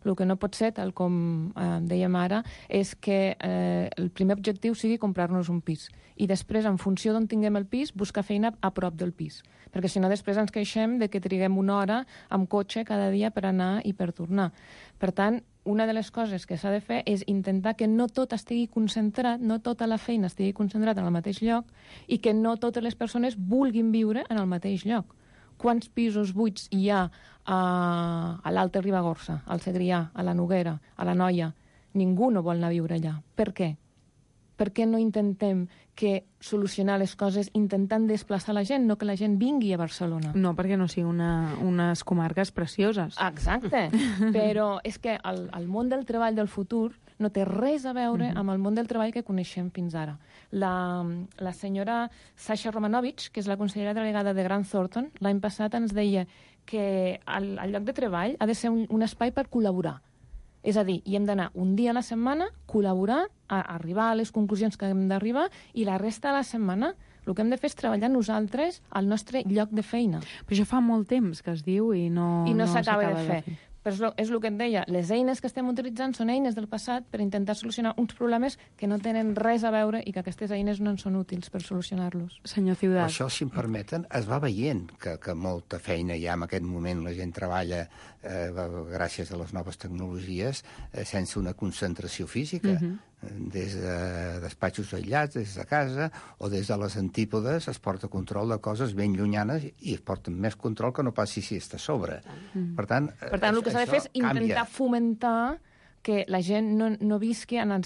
El que no pot ser, tal com dèiem ara, és que el primer objectiu sigui comprar-nos un pis. I després, en funció d'on tinguem el pis, buscar feina a prop del pis. Perquè si no, després ens queixem de que triguem una hora amb cotxe cada dia per anar i per tornar. Per tant, una de les coses que s'ha de fer és intentar que no tot estigui concentrat, no tota la feina estigui concentrada en el mateix lloc i que no totes les persones vulguin viure en el mateix lloc. Quants pisos buits hi ha a l'Alta Ribagorça, al Segrià, a la Noguera, a la Noia? Ningú no vol anar a viure allà. Per què? per què no intentem solucionar les coses intentant desplaçar la gent, no que la gent vingui a Barcelona? No, perquè no siguin unes comarques precioses. Exacte, però és que el món del treball del futur no té res a veure amb el món del treball que coneixem fins ara. La senyora Sasha Romanovich, que és la consellera delegada de Grant Thornton, l'any passat ens deia que el lloc de treball ha de ser un espai per col·laborar. És a dir, hi hem d'anar un dia a la setmana, col·laborar, arribar a les conclusions que hem d'arribar, i la resta de la setmana el que hem de fer és treballar nosaltres al nostre lloc de feina. Però això fa molt temps que es diu i no s'acaba de fer. Però és el que et deia, les eines que estem utilitzant són eines del passat per intentar solucionar uns problemes que no tenen res a veure i que aquestes eines no en són útils per solucionar-los. Senyor Ciudad. Això, si em permeten, es va veient que molta feina ja en aquest moment la gent treballa gràcies a les noves tecnologies sense una concentració física. Des de despatxos aïllats, des de casa, o des de les antípodes es porta control de coses ben llunyanes i es porta més control que no passi si està a sobre. Per tant, el que s'ha de fer és intentar fomentar que la gent no visqui en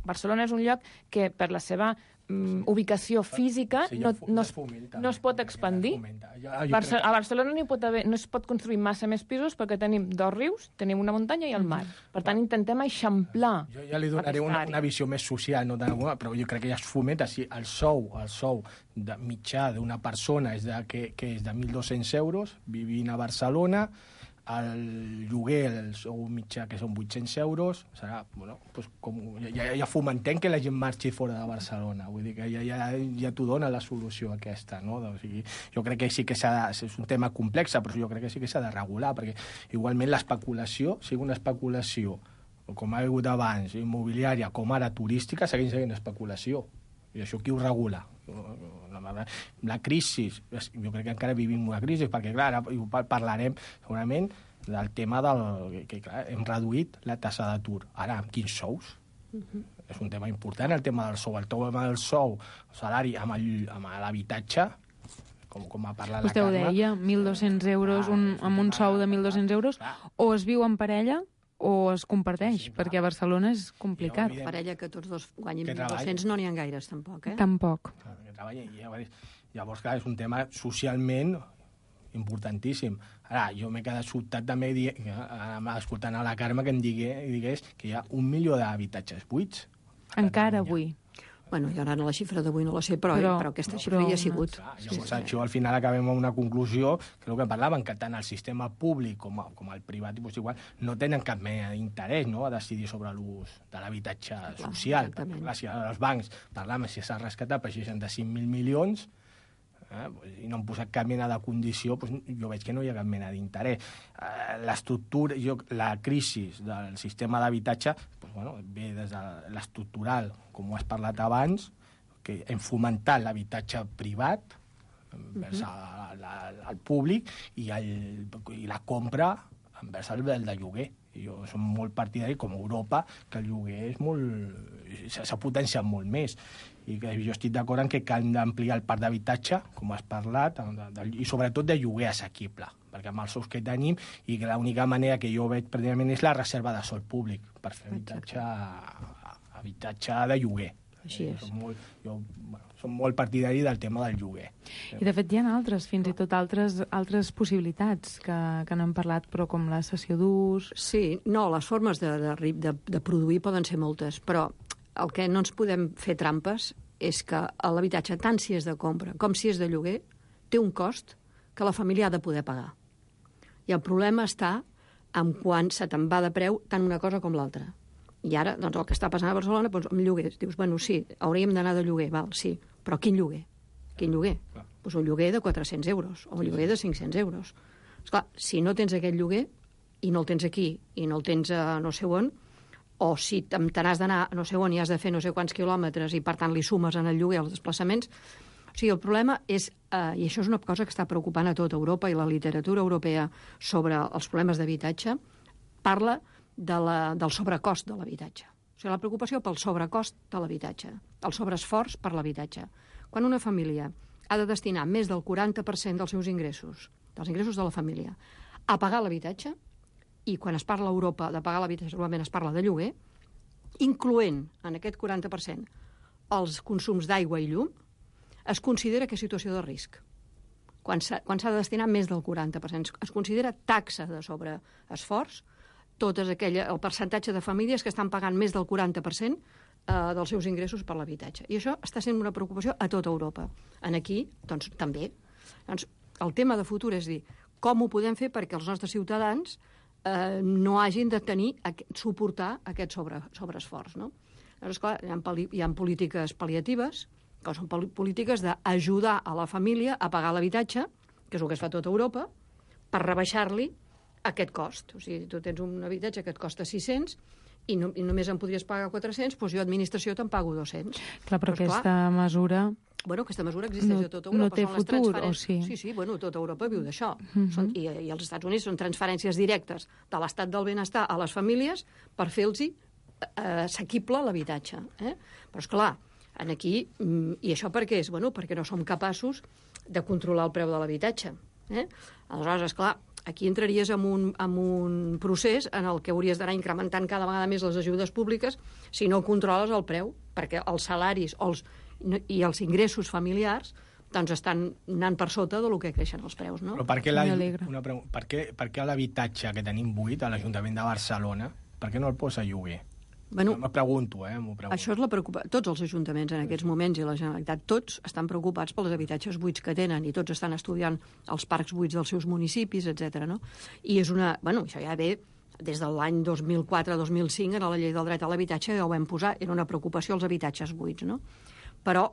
Barcelona és un lloc que per la seva ubicació física no es pot expandir. A Barcelona no es pot construir massa més pisos perquè tenim 2 rius, tenim una muntanya i el mar. Per tant, intentem eixamplar. Jo ja li donaré una visió més social, no però jo crec que ja es fomenta. Si el sou de mitjà d'una persona que és de 1.200 euros, vivint a Barcelona, el lloguer, el sou mitjà, que són 800 euros, serà, ja fomentem que la gent marxi fora de Barcelona. Vull dir que ja t'ho dona la solució aquesta, no? O sigui, jo crec que sí que és un tema complex, però jo crec que sí que s'ha de regular, perquè igualment l'especulació, sigui una especulació, com ha hagut abans, immobiliària, com ara turística, segueix sent especulació. I això qui ho regula? La crisi, jo crec que encara vivim una crisi, perquè clar, ara parlarem segurament del tema que clar, hem reduït la tassa d'atur. Ara, amb quins sous? És un tema important, el tema del sou. El tema del sou, el salari amb l'habitatge, com ha parlat Vostè la Carme. Vostè ho deia, 1.200 euros, amb un sou de 1.200 euros, o es viu en parella o es comparteix, perquè a Barcelona és complicat. Parella que tots dos guanyin 1.200 no n'hi ha gaires, tampoc, eh? Tampoc. Llavors, clar, és un tema socialment importantíssim. Ara, jo m'he quedat sobtat també escoltant a la Carme que em digués que hi ha 1 milió d'habitatges buits. Encara avui. Bueno, jo ara la xifra d'avui no la sé, però aquesta xifra hi ha sigut. Llavors, això al final acabem amb una conclusió, que és el que parlaven, que tant el sistema públic com el privat igual, no tenen cap mena d'interès, no?, a decidir sobre l'ús de l'habitatge social. Perquè, clar, si els bancs parlàvem si s'ha rescatat per 65.000 milions, i no han posat cap mena de condició, jo veig que no hi ha cap mena d'interès. L'estructura, la crisi del sistema d'habitatge ve des de l'estructural, com ho has parlat abans, que hem fomentat l'habitatge privat envers el públic i la compra envers el de lloguer. Jo som molt partidari, com a Europa, que el lloguer s'ha potenciat molt més. I que jo estic d'acord en que cal ampliar el parc d'habitatge, com has parlat, i sobretot de lloguer assequible, perquè amb els sous que tenim, i que l'única manera que jo veig pràcticament és la reserva de sòl públic per fer habitatge de lloguer. Així és. Som molt partidari del tema del lloguer. I de fet hi ha fins i tot altres possibilitats que no hem parlat, però com la cessió d'ús... Sí, no, les formes de produir poden ser moltes, però el que no ens podem fer trampes és que l'habitatge, tant si és de compra com si és de lloguer, té un cost que la família ha de poder pagar. I el problema està en quan se te'n va de preu tant una cosa com l'altra. I ara, doncs, el que està passant a Barcelona, doncs, amb lloguers, dius, bueno, sí, hauríem d'anar de lloguer, val, sí, però quin lloguer? Quin lloguer? Doncs un lloguer de 400 euros, o un lloguer de 500 euros. Esclar, si no tens aquest lloguer, i no el tens aquí, i no el tens a no sé on, o si te n'has d'anar a no sé on i has de fer no sé quants quilòmetres i, per tant, li sumes en el lloguer els desplaçaments... O sigui, el problema és, i això és una cosa que està preocupant a tota Europa, i la literatura europea sobre els problemes d'habitatge parla del sobrecost de l'habitatge. O sigui, la preocupació pel sobrecost de l'habitatge, el sobreesforç per l'habitatge. Quan una família ha de destinar més del 40% dels seus ingressos, dels ingressos de la família, a pagar l'habitatge, i quan es parla a Europa de pagar l'habitatge, normalment es parla de lloguer, incloent en aquest 40% els consums d'aigua i llum, es considera que és situació de risc. Quan s'ha de destinar més del 40%. Es considera taxa de sobreesforç el percentatge de famílies que estan pagant més del 40% dels seus ingressos per l'habitatge. I això està sent una preocupació a tota Europa. Aquí, doncs, també. Doncs, el tema de futur és dir, com ho podem fer perquè els nostres ciutadans no hagin de suportar aquest sobreesforç, no? Llavors, clar, hi ha polítiques pal·liatives, que són polítiques d'ajudar a la família a pagar l'habitatge, que és el que es fa a tota Europa, per rebaixar-li aquest cost. O sigui, tu tens un habitatge que et costa 600 i només en podries pagar 400, doncs jo, administració, te'n pago 200. Clar, però aquesta mesura... Bueno, aquesta mesura existeix a tota Europa. No té futur, o sí? Sí, bueno, tota Europa viu d'això. I els Estats Units són transferències directes de l'estat del benestar a les famílies per fer-los assequible l'habitatge. Però, esclar, aquí... I això per què és? Bueno, perquè no som capaços de controlar el preu de l'habitatge. Aleshores, esclar, aquí entraries en un procés en el que hauries d'anar incrementant cada vegada més les ajudes públiques si no controles el preu, perquè els salaris i els ingressos familiars doncs estan anant per sota del que creixen els preus, no? Però per què l'habitatge que tenim buit a l'Ajuntament de Barcelona, per què no el posa a lloguer? Bueno, m'ho pregunto. Això és la preocupació. Tots els ajuntaments en aquests moments i la Generalitat, tots estan preocupats pels habitatges buits que tenen i tots estan estudiant els parcs buits dels seus municipis, etc. No? I és una... Bueno, això ja ve des de l'any 2004-2005, en la llei del dret a l'habitatge ja ho vam posar, era una preocupació els habitatges buits, no? Però,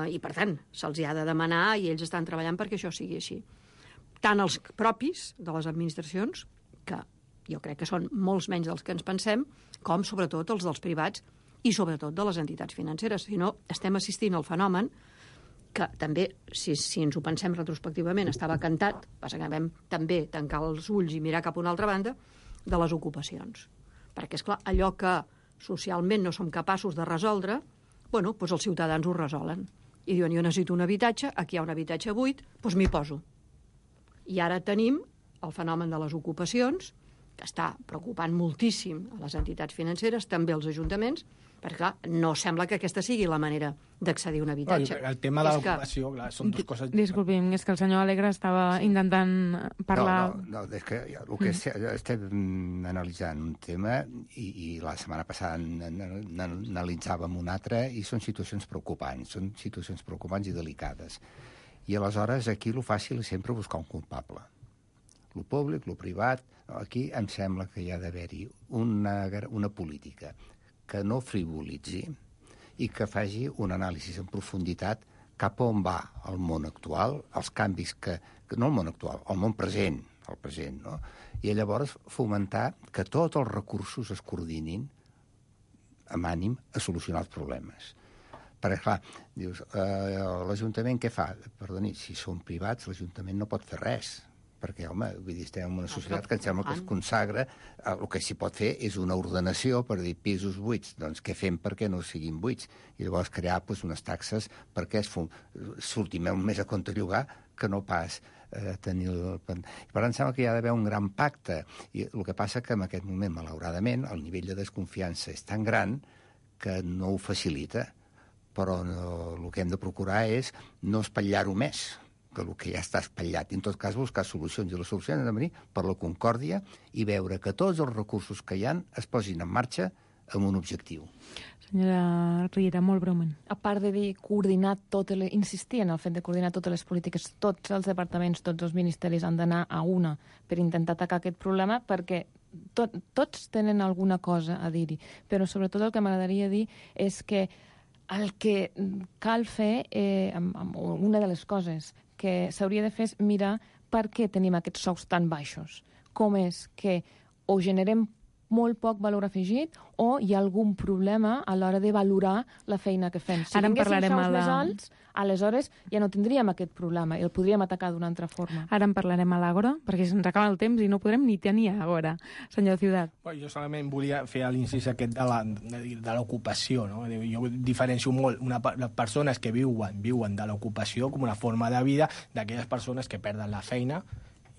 i per tant, se'ls ha de demanar i ells estan treballant perquè això sigui així. Tant els propis de les administracions, que jo crec que són molts menys dels que ens pensem, com sobretot els dels privats i sobretot de les entitats financeres. Si no, estem assistint al fenomen que també, si ens ho pensem retrospectivament, estava cantat, passa que vam també tancar els ulls i mirar cap a una altra banda, de les ocupacions. Perquè, esclar, allò que socialment no som capaços de resoldre, bueno, doncs els ciutadans ho resolen. I diuen, jo necessito un habitatge, aquí hi ha un habitatge buit, doncs m'hi poso. I ara tenim el fenomen de les ocupacions, que està preocupant moltíssim a les entitats financeres, també als ajuntaments, perquè, clar, no sembla que aquesta sigui la manera d'accedir a un habitatge. El tema de l'ocupació, clar, són dues coses... Disculpi'm, és que el senyor Alegre estava intentant parlar... No, és que el que estem analitzant un tema i la setmana passada n'analitzàvem un altre i són situacions preocupants i delicades. I aleshores aquí el fàcil és sempre buscar un culpable. Lo públic, lo privat... Aquí em sembla que hi ha d'haver-hi una política que no frivolitzi i que faci un anàlisi en profunditat cap on va el món actual, els canvis no el món actual, el món present, no? I llavors fomentar que tots els recursos es coordinin amb ànim a solucionar els problemes. Perquè, clar, dius, l'Ajuntament què fa? Perdoni, si són privats, l'Ajuntament no pot fer res. Perquè, home, vull dir, estem en una societat que em sembla que es consagra, el que s'hi pot fer és una ordenació per dir pisos buits, doncs què fem perquè no siguin buits? I llavors crear unes taxes perquè surti més a compte llogar que no pas tenir... Per tant, em sembla que hi ha d'haver un gran pacte. I el que passa que en aquest moment, malauradament, el nivell de desconfiança és tan gran que no ho facilita, però el que hem de procurar és no espatllar-ho més, que el que ja està espatllat. I en tot cas buscar solucions. I les solucions han de venir per la concòrdia i veure que tots els recursos que hi ha es posin en marxa amb un objectiu. Senyora Riera, molt breument. A part de dir insistir en el fet de coordinar totes les polítiques, tots els departaments, tots els ministeris han d'anar a una per intentar atacar aquest problema, perquè tots tenen alguna cosa a dir-hi. Però sobretot el que m'agradaria dir és que el que cal fer, una de les coses que s'hauria de fer és mirar per què tenim aquests sous tan baixos. Com és que o generem molt poc valor afegit o hi ha algun problema a l'hora de valorar la feina que fem. Si tinguéssim sous més alts, aleshores ja no tindríem aquest problema i el podríem atacar d'una altra forma. Ara en parlarem a l'Àgora, perquè se'ns acaba el temps i no podrem ni tenir Àgora. Senyor Ciutat. Jo solament volia fer l'incís aquest de l'ocupació. No? Jo diferencio molt les persones que viuen de l'ocupació com una forma de vida d'aquelles persones que perden la feina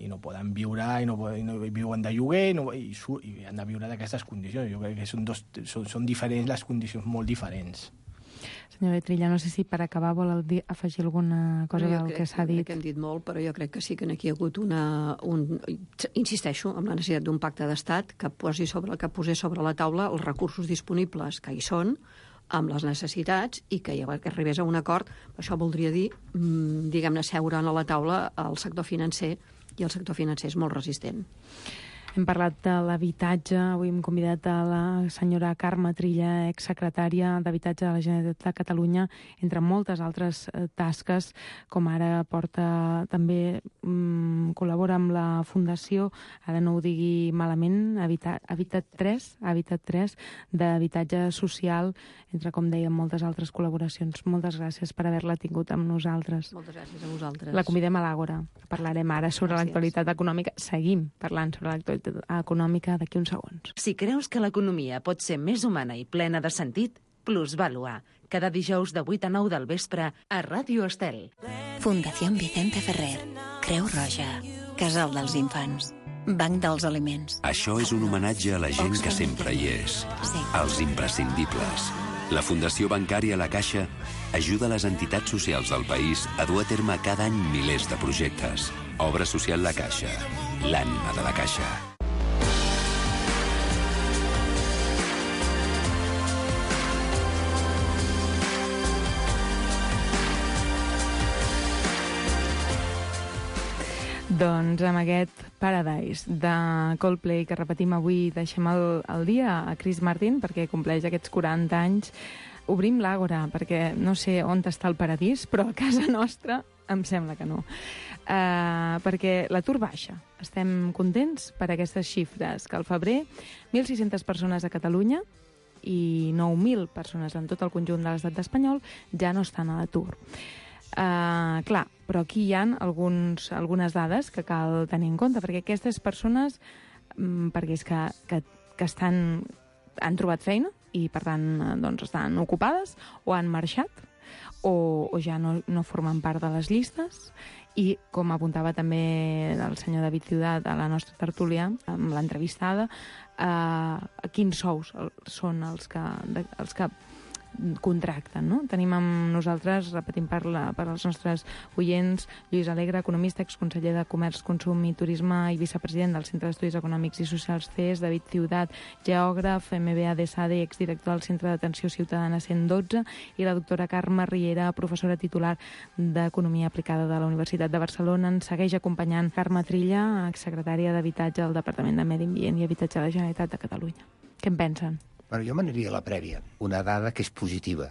i no poden viure, i no viuen de lloguer, i han de viure d'aquestes condicions. Jo crec que són diferents, les condicions molt diferents. Senyora Trilla, no sé si per acabar vol afegir alguna cosa del que s'ha dit. Jo crec que hem dit molt, però jo crec que sí que aquí hi ha hagut insisteixo en la necessitat d'un pacte d'estat que posés sobre la taula els recursos disponibles que hi són, amb les necessitats, i que arribés a un acord. Això voldria dir, diguem-ne, seure a la taula el sector financer, i el sector financer és molt resistent. Hem parlat de l'habitatge. Avui hem convidat a la senyora Carme Trilla, exsecretària d'Habitatge de la Generalitat de Catalunya, entre moltes altres tasques, com ara també col·labora amb la Fundació, ara no ho digui malament, Habitat 3, d'habitatge social, entre, com dèiem, moltes altres col·laboracions. Moltes gràcies per haver-la tingut amb nosaltres. Moltes gràcies a vosaltres. La convidem a l'Àgora. Parlarem ara sobre l'actualitat econòmica. Seguim parlant sobre l'actualitat econòmica d'aquí uns segons. Si creus que l'economia pot ser més humana i plena de sentit, Plusvalua. Cada dijous de 8 a 9 del vespre a Ràdio Estel. Fundació Vicente Ferrer. Creu Roja. Casal dels Infants. Banc dels Aliments. Això és un homenatge a la gent que sempre hi és. Els imprescindibles. La Fundació Bancària La Caixa ajuda les entitats socials del país a dur a terme cada any milers de projectes. Obra social La Caixa. L'ànima de la Caixa. Doncs amb aquest Paradise de Coldplay que repetim avui, deixem el dia a Chris Martin perquè compleix aquests 40 anys. Obrim l'Àgora perquè no sé on està el paradís, però a casa nostra em sembla que no. Perquè l'atur baixa. Estem contents per aquestes xifres, que al febrer 1.600 persones a Catalunya i 9.000 persones en tot el conjunt de l'estat espanyol ja no estan a l'atur. Clar, però aquí hi ha algunes dades que cal tenir en compte, perquè aquestes persones, perquè és que han trobat feina i, per tant, doncs estan ocupades o han marxat o ja no formen part de les llistes. I, com apuntava també el senyor David Ciutat a la nostra tertúlia, amb l'entrevistada, quins sous són els que contracten, no? Tenim amb nosaltres, repetim per als nostres oients, Lluís Alegre, economista, exconseller de Comerç, Consum i Turisme i vicepresident del Centre d'Estudis Econòmics i Socials CES, David Ciutat, geògraf, MBA de SADE i exdirector del Centre d'Atenció Ciutadana 112, i la doctora Carme Riera, professora titular d'Economia Aplicada de la Universitat de Barcelona. Ens segueix acompanyant Carme Trilla, exsecretària d'Habitatge del Departament de Medi Ambient i Habitatge de la Generalitat de Catalunya. Què en pensen? Bueno, jo m'aniria a la prèvia. Una dada que és positiva.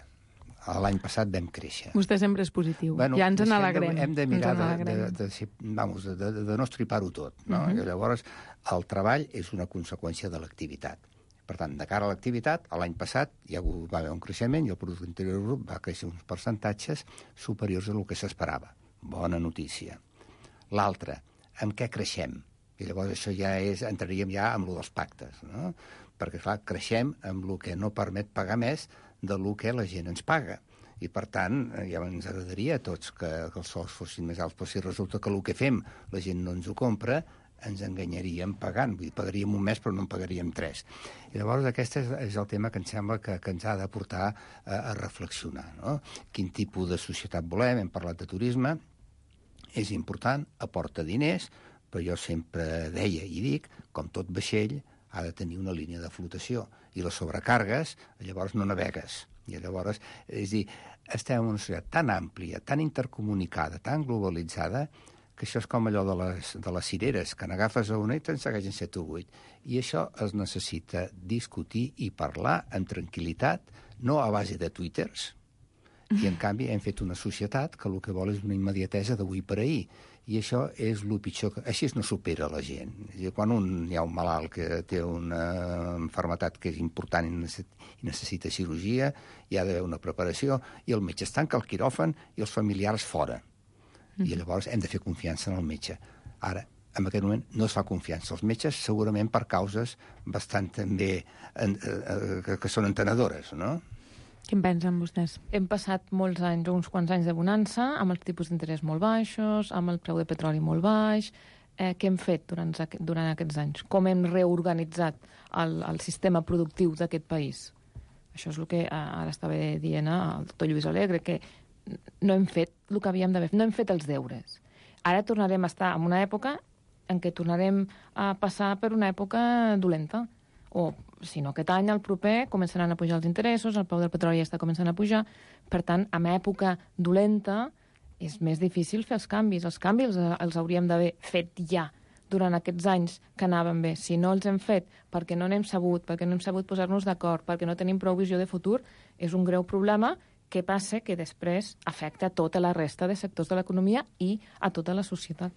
L'any passat vam créixer. Vostè sempre és positiu. Bueno, ja ens n'alegrem. Hem de mirar de no estripar-ho tot. No? I llavors, el treball és una conseqüència de l'activitat. Per tant, de cara a l'activitat, l'any passat va haver un creixement i el Producte Interior Brut va créixer uns percentatges superiors a el que s'esperava. Bona notícia. L'altre, amb què creixem? I llavors això ja entraríem ja amb lo dels pactes, no? Perquè, clar, creixem amb el que no permet pagar més de lo que la gent ens paga. I, per tant, ja ens agradaria a tots que els sous fossin més alts, però si resulta que el que fem la gent no ens ho compra, ens enganyaríem pagant. Vull dir, pagaríem un mes però no en pagaríem 3. I llavors aquest és el tema que em sembla que ens ha de portar a reflexionar, no? Quin tipus de societat volem? Hem parlat de turisme. És important, aporta diners, però jo sempre deia i dic, com tot vaixell, ha de tenir una línia de flotació. I les sobrecàrregues, llavors no navegues. I llavors, és dir, estem en una societat tan àmplia, tan intercomunicada, tan globalitzada, que això és com allò de les cireres, que n'agafes a una i te'n segueixen 7 o 8. I això es necessita discutir i parlar amb tranquil·litat, no a base de twitters. I, en canvi, hem fet una societat que el que vol és una immediatesa d'avui per ahir. I això és el pitjor. Així no supera la gent. Quan hi ha un malalt que té una malaltia que és important i necessita cirurgia, hi ha d'haver una preparació, i el metge es tanca al quiròfan i els familiars fora. I llavors hem de fer confiança en el metge. Ara, en aquest moment no es fa confiança als metges, segurament per causes bastant també que són entenedores, no? Què en pensen vostès? Hem passat molts anys, uns quants anys de bonança, amb els tipus d'interès molt baixos, amb el preu de petroli molt baix. Què hem fet durant aquests anys? Com hem reorganitzat el sistema productiu d'aquest país? Això és el que ara estava dient el doctor Lluís Alegre, que no hem fet el que havíem d'haver fet, no hem fet els deures. Ara tornarem a estar en una època en què tornarem a passar per una època dolenta. O, si no, aquest any, el proper, començaran a pujar els interessos, el preu del petroli ja està començant a pujar. Per tant, en època dolenta és més difícil fer els canvis. Els canvis els hauríem d'haver fet ja durant aquests anys que anaven bé. Si no els hem fet perquè no n'hem sabut, perquè no hem sabut posar-nos d'acord, perquè no tenim prou visió de futur, és un greu problema que passa que després afecta a tota la resta de sectors de l'economia i a tota la societat.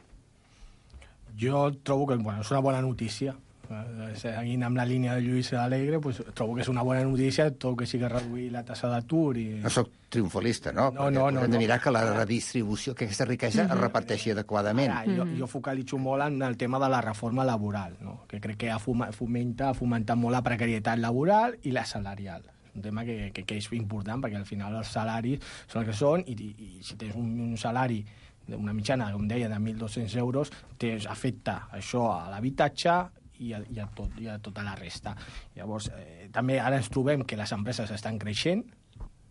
Jo trobo que és una bona notícia. Seguint amb la línia de Lluís Alegre, trobo que és una bona notícia tot que sigui reduir la tassa d'atur. No soc triomfolista, no? No. Hem de mirar que la redistribució, que aquesta riquesa es reparteixi adequadament. Jo focalitzo molt en el tema de la reforma laboral, no? Que crec que ha fomentat molt la precarietat laboral i la salarial. Un tema que és important, perquè al final els salaris són els que són, i si tens un salari d'una mitjana, com deia, de 1.200 euros, afecta això a l'habitatge i a tota la resta. Llavors, també ara ens trobem que les empreses estan creixent,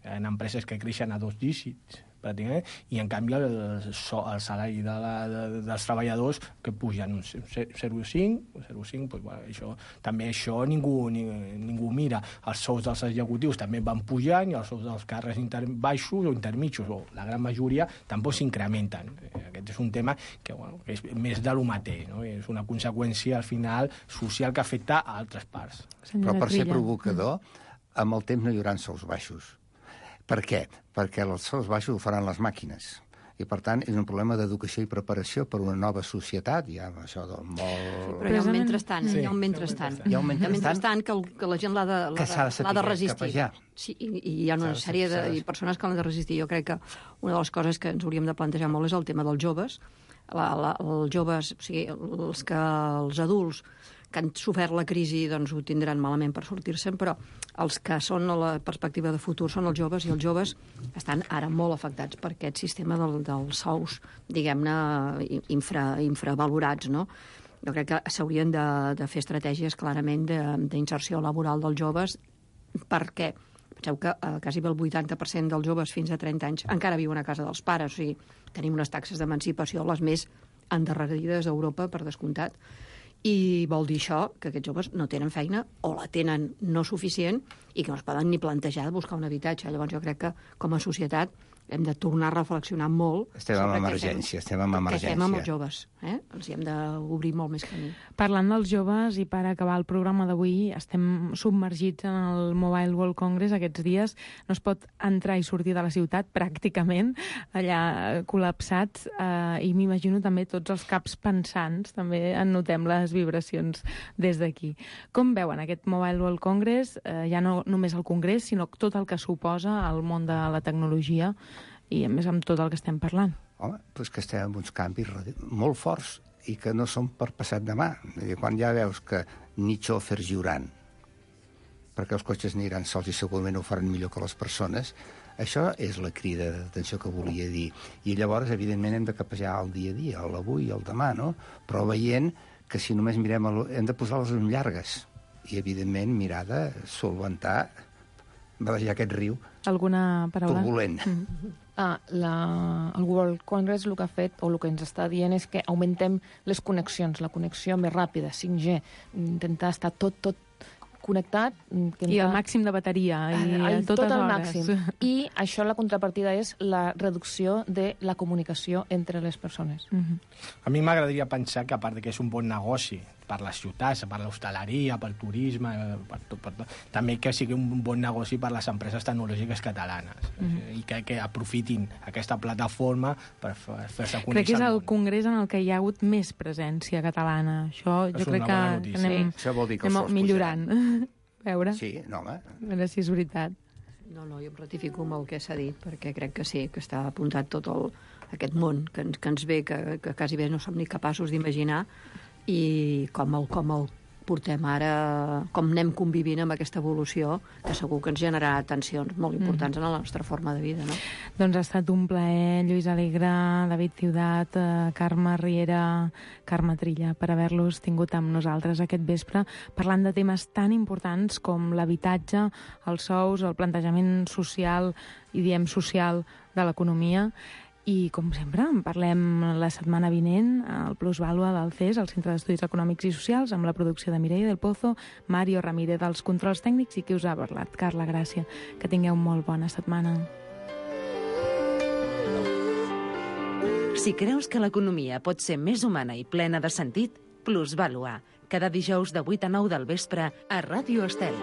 hi ha empreses que creixen a 2 dígits, pràcticament, i en canvi el salari dels treballadors que pugen un 0,5, també això ningú mira. Els sous dels executius també van pujant i els sous dels càrrecs baixos o intermitjos, o la gran majoria, tampoc s'incrementen. Aquest és un tema que és més de lo mateix, no? És una conseqüència, al final, social que afecta a altres parts. Però per ser provocador, amb el temps no hi haurà sous baixos. Per què? Perquè els sous baixos ho faran les màquines. I, per tant, és un problema d'educació i preparació per una nova societat. Hi ha això del molt... Però hi ha un mentrestant, hi ha un mentrestant. Hi ha un mentrestant que la gent l'ha de resistir. Sí, i hi ha una sèrie de persones que l'han de resistir. Jo crec que una de les coses que ens hauríem de plantejar molt és el tema dels joves. Els joves, o sigui, els adults que han sofert la crisi doncs ho tindran malament per sortir-se'n, però els que són a la perspectiva de futur són els joves, i els joves estan ara molt afectats per aquest sistema dels sous, diguem-ne, infravalorats, no? Jo crec que s'haurien de fer estratègies clarament d'inserció laboral dels joves, perquè penseu que quasi el 80% dels joves fins a 30 anys encara viuen a casa dels pares, o sigui, tenim unes taxes d'emancipació les més endarrerides d'Europa, per descomptat, i vol dir això que aquests joves no tenen feina o la tenen no suficient i que no es poden ni plantejar de buscar un habitatge. Llavors jo crec que com a societat hem de tornar a reflexionar molt. Estem en emergència. Què fem amb els joves? Els hi hem d'obrir molt més camí. Parlant dels joves, i per acabar el programa d'avui, estem submergits en el Mobile World Congress aquests dies. No es pot entrar i sortir de la ciutat, pràcticament, allà col·lapsats, i m'imagino també tots els caps pensants, també en notem les vibracions des d'aquí. Com veuen aquest Mobile World Congress, ja no només el congrés, sinó tot el que suposa al món de la tecnologia, i a més amb tot el que estem parlant? Home, doncs que estem en uns canvis molt forts i que no són per passat demà. Quan ja veus que ni xòfers hi hauran, perquè els cotxes aniran sols i segurament ho faran millor que les persones, això és la crida d'atenció que volia dir. I llavors, evidentment, hem de capejar el dia a dia, l'avui i el demà, no? Però veient que si només mirem... hem de posar les llums llargues i, evidentment, mirar de solventar, badejar aquest riu alguna paraula? Turbulent. El World Congress el que ha fet, o el que ens està dient, és que augmentem les connexions, la connexió més ràpida, 5G, intentar estar tot connectat. I el màxim de bateria. Tot el màxim. I això, la contrapartida, és la reducció de la comunicació entre les persones. A mi m'agradaria pensar que, a part que és un bon negoci per les ciutats, per l'hostaleria, pel turisme, per tot, també que sigui un bon negoci per les empreses tecnològiques catalanes, i que aprofitin aquesta plataforma per fer-se conèixer. Crec que és el congrés en el que hi ha hagut més presència catalana. Això jo crec que anem millorant. A veure. Sí, no, home. A veure si és veritat. No, jo em ratifico amb el que s'ha dit, perquè crec que sí, que està apuntat tot aquest món que ens ve, que quasi bé no som ni capaços d'imaginar, i com el portem ara, com anem convivint amb aquesta evolució, que segur que ens generarà tensions molt importants en la nostra forma de vida, no? Doncs ha estat un plaer, Lluís Alegre, David Ciutat, Carme Riera, Carme Trilla, per haver-los tingut amb nosaltres aquest vespre, parlant de temes tan importants com l'habitatge, els sous, el plantejament social, i diem social, de l'economia. I, com sempre, en parlem la setmana vinent al Plusvàlua del CES, al Centre d'Estudis Econòmics i Socials, amb la producció de Mireia del Pozo, Mario Ramírez dels controls tècnics i qui us ha parlat, Carla Gràcia. Que tingueu molt bona setmana. Si creus que l'economia pot ser més humana i plena de sentit, Plusvàlua, cada dijous de 8 a 9 del vespre a Ràdio Estel.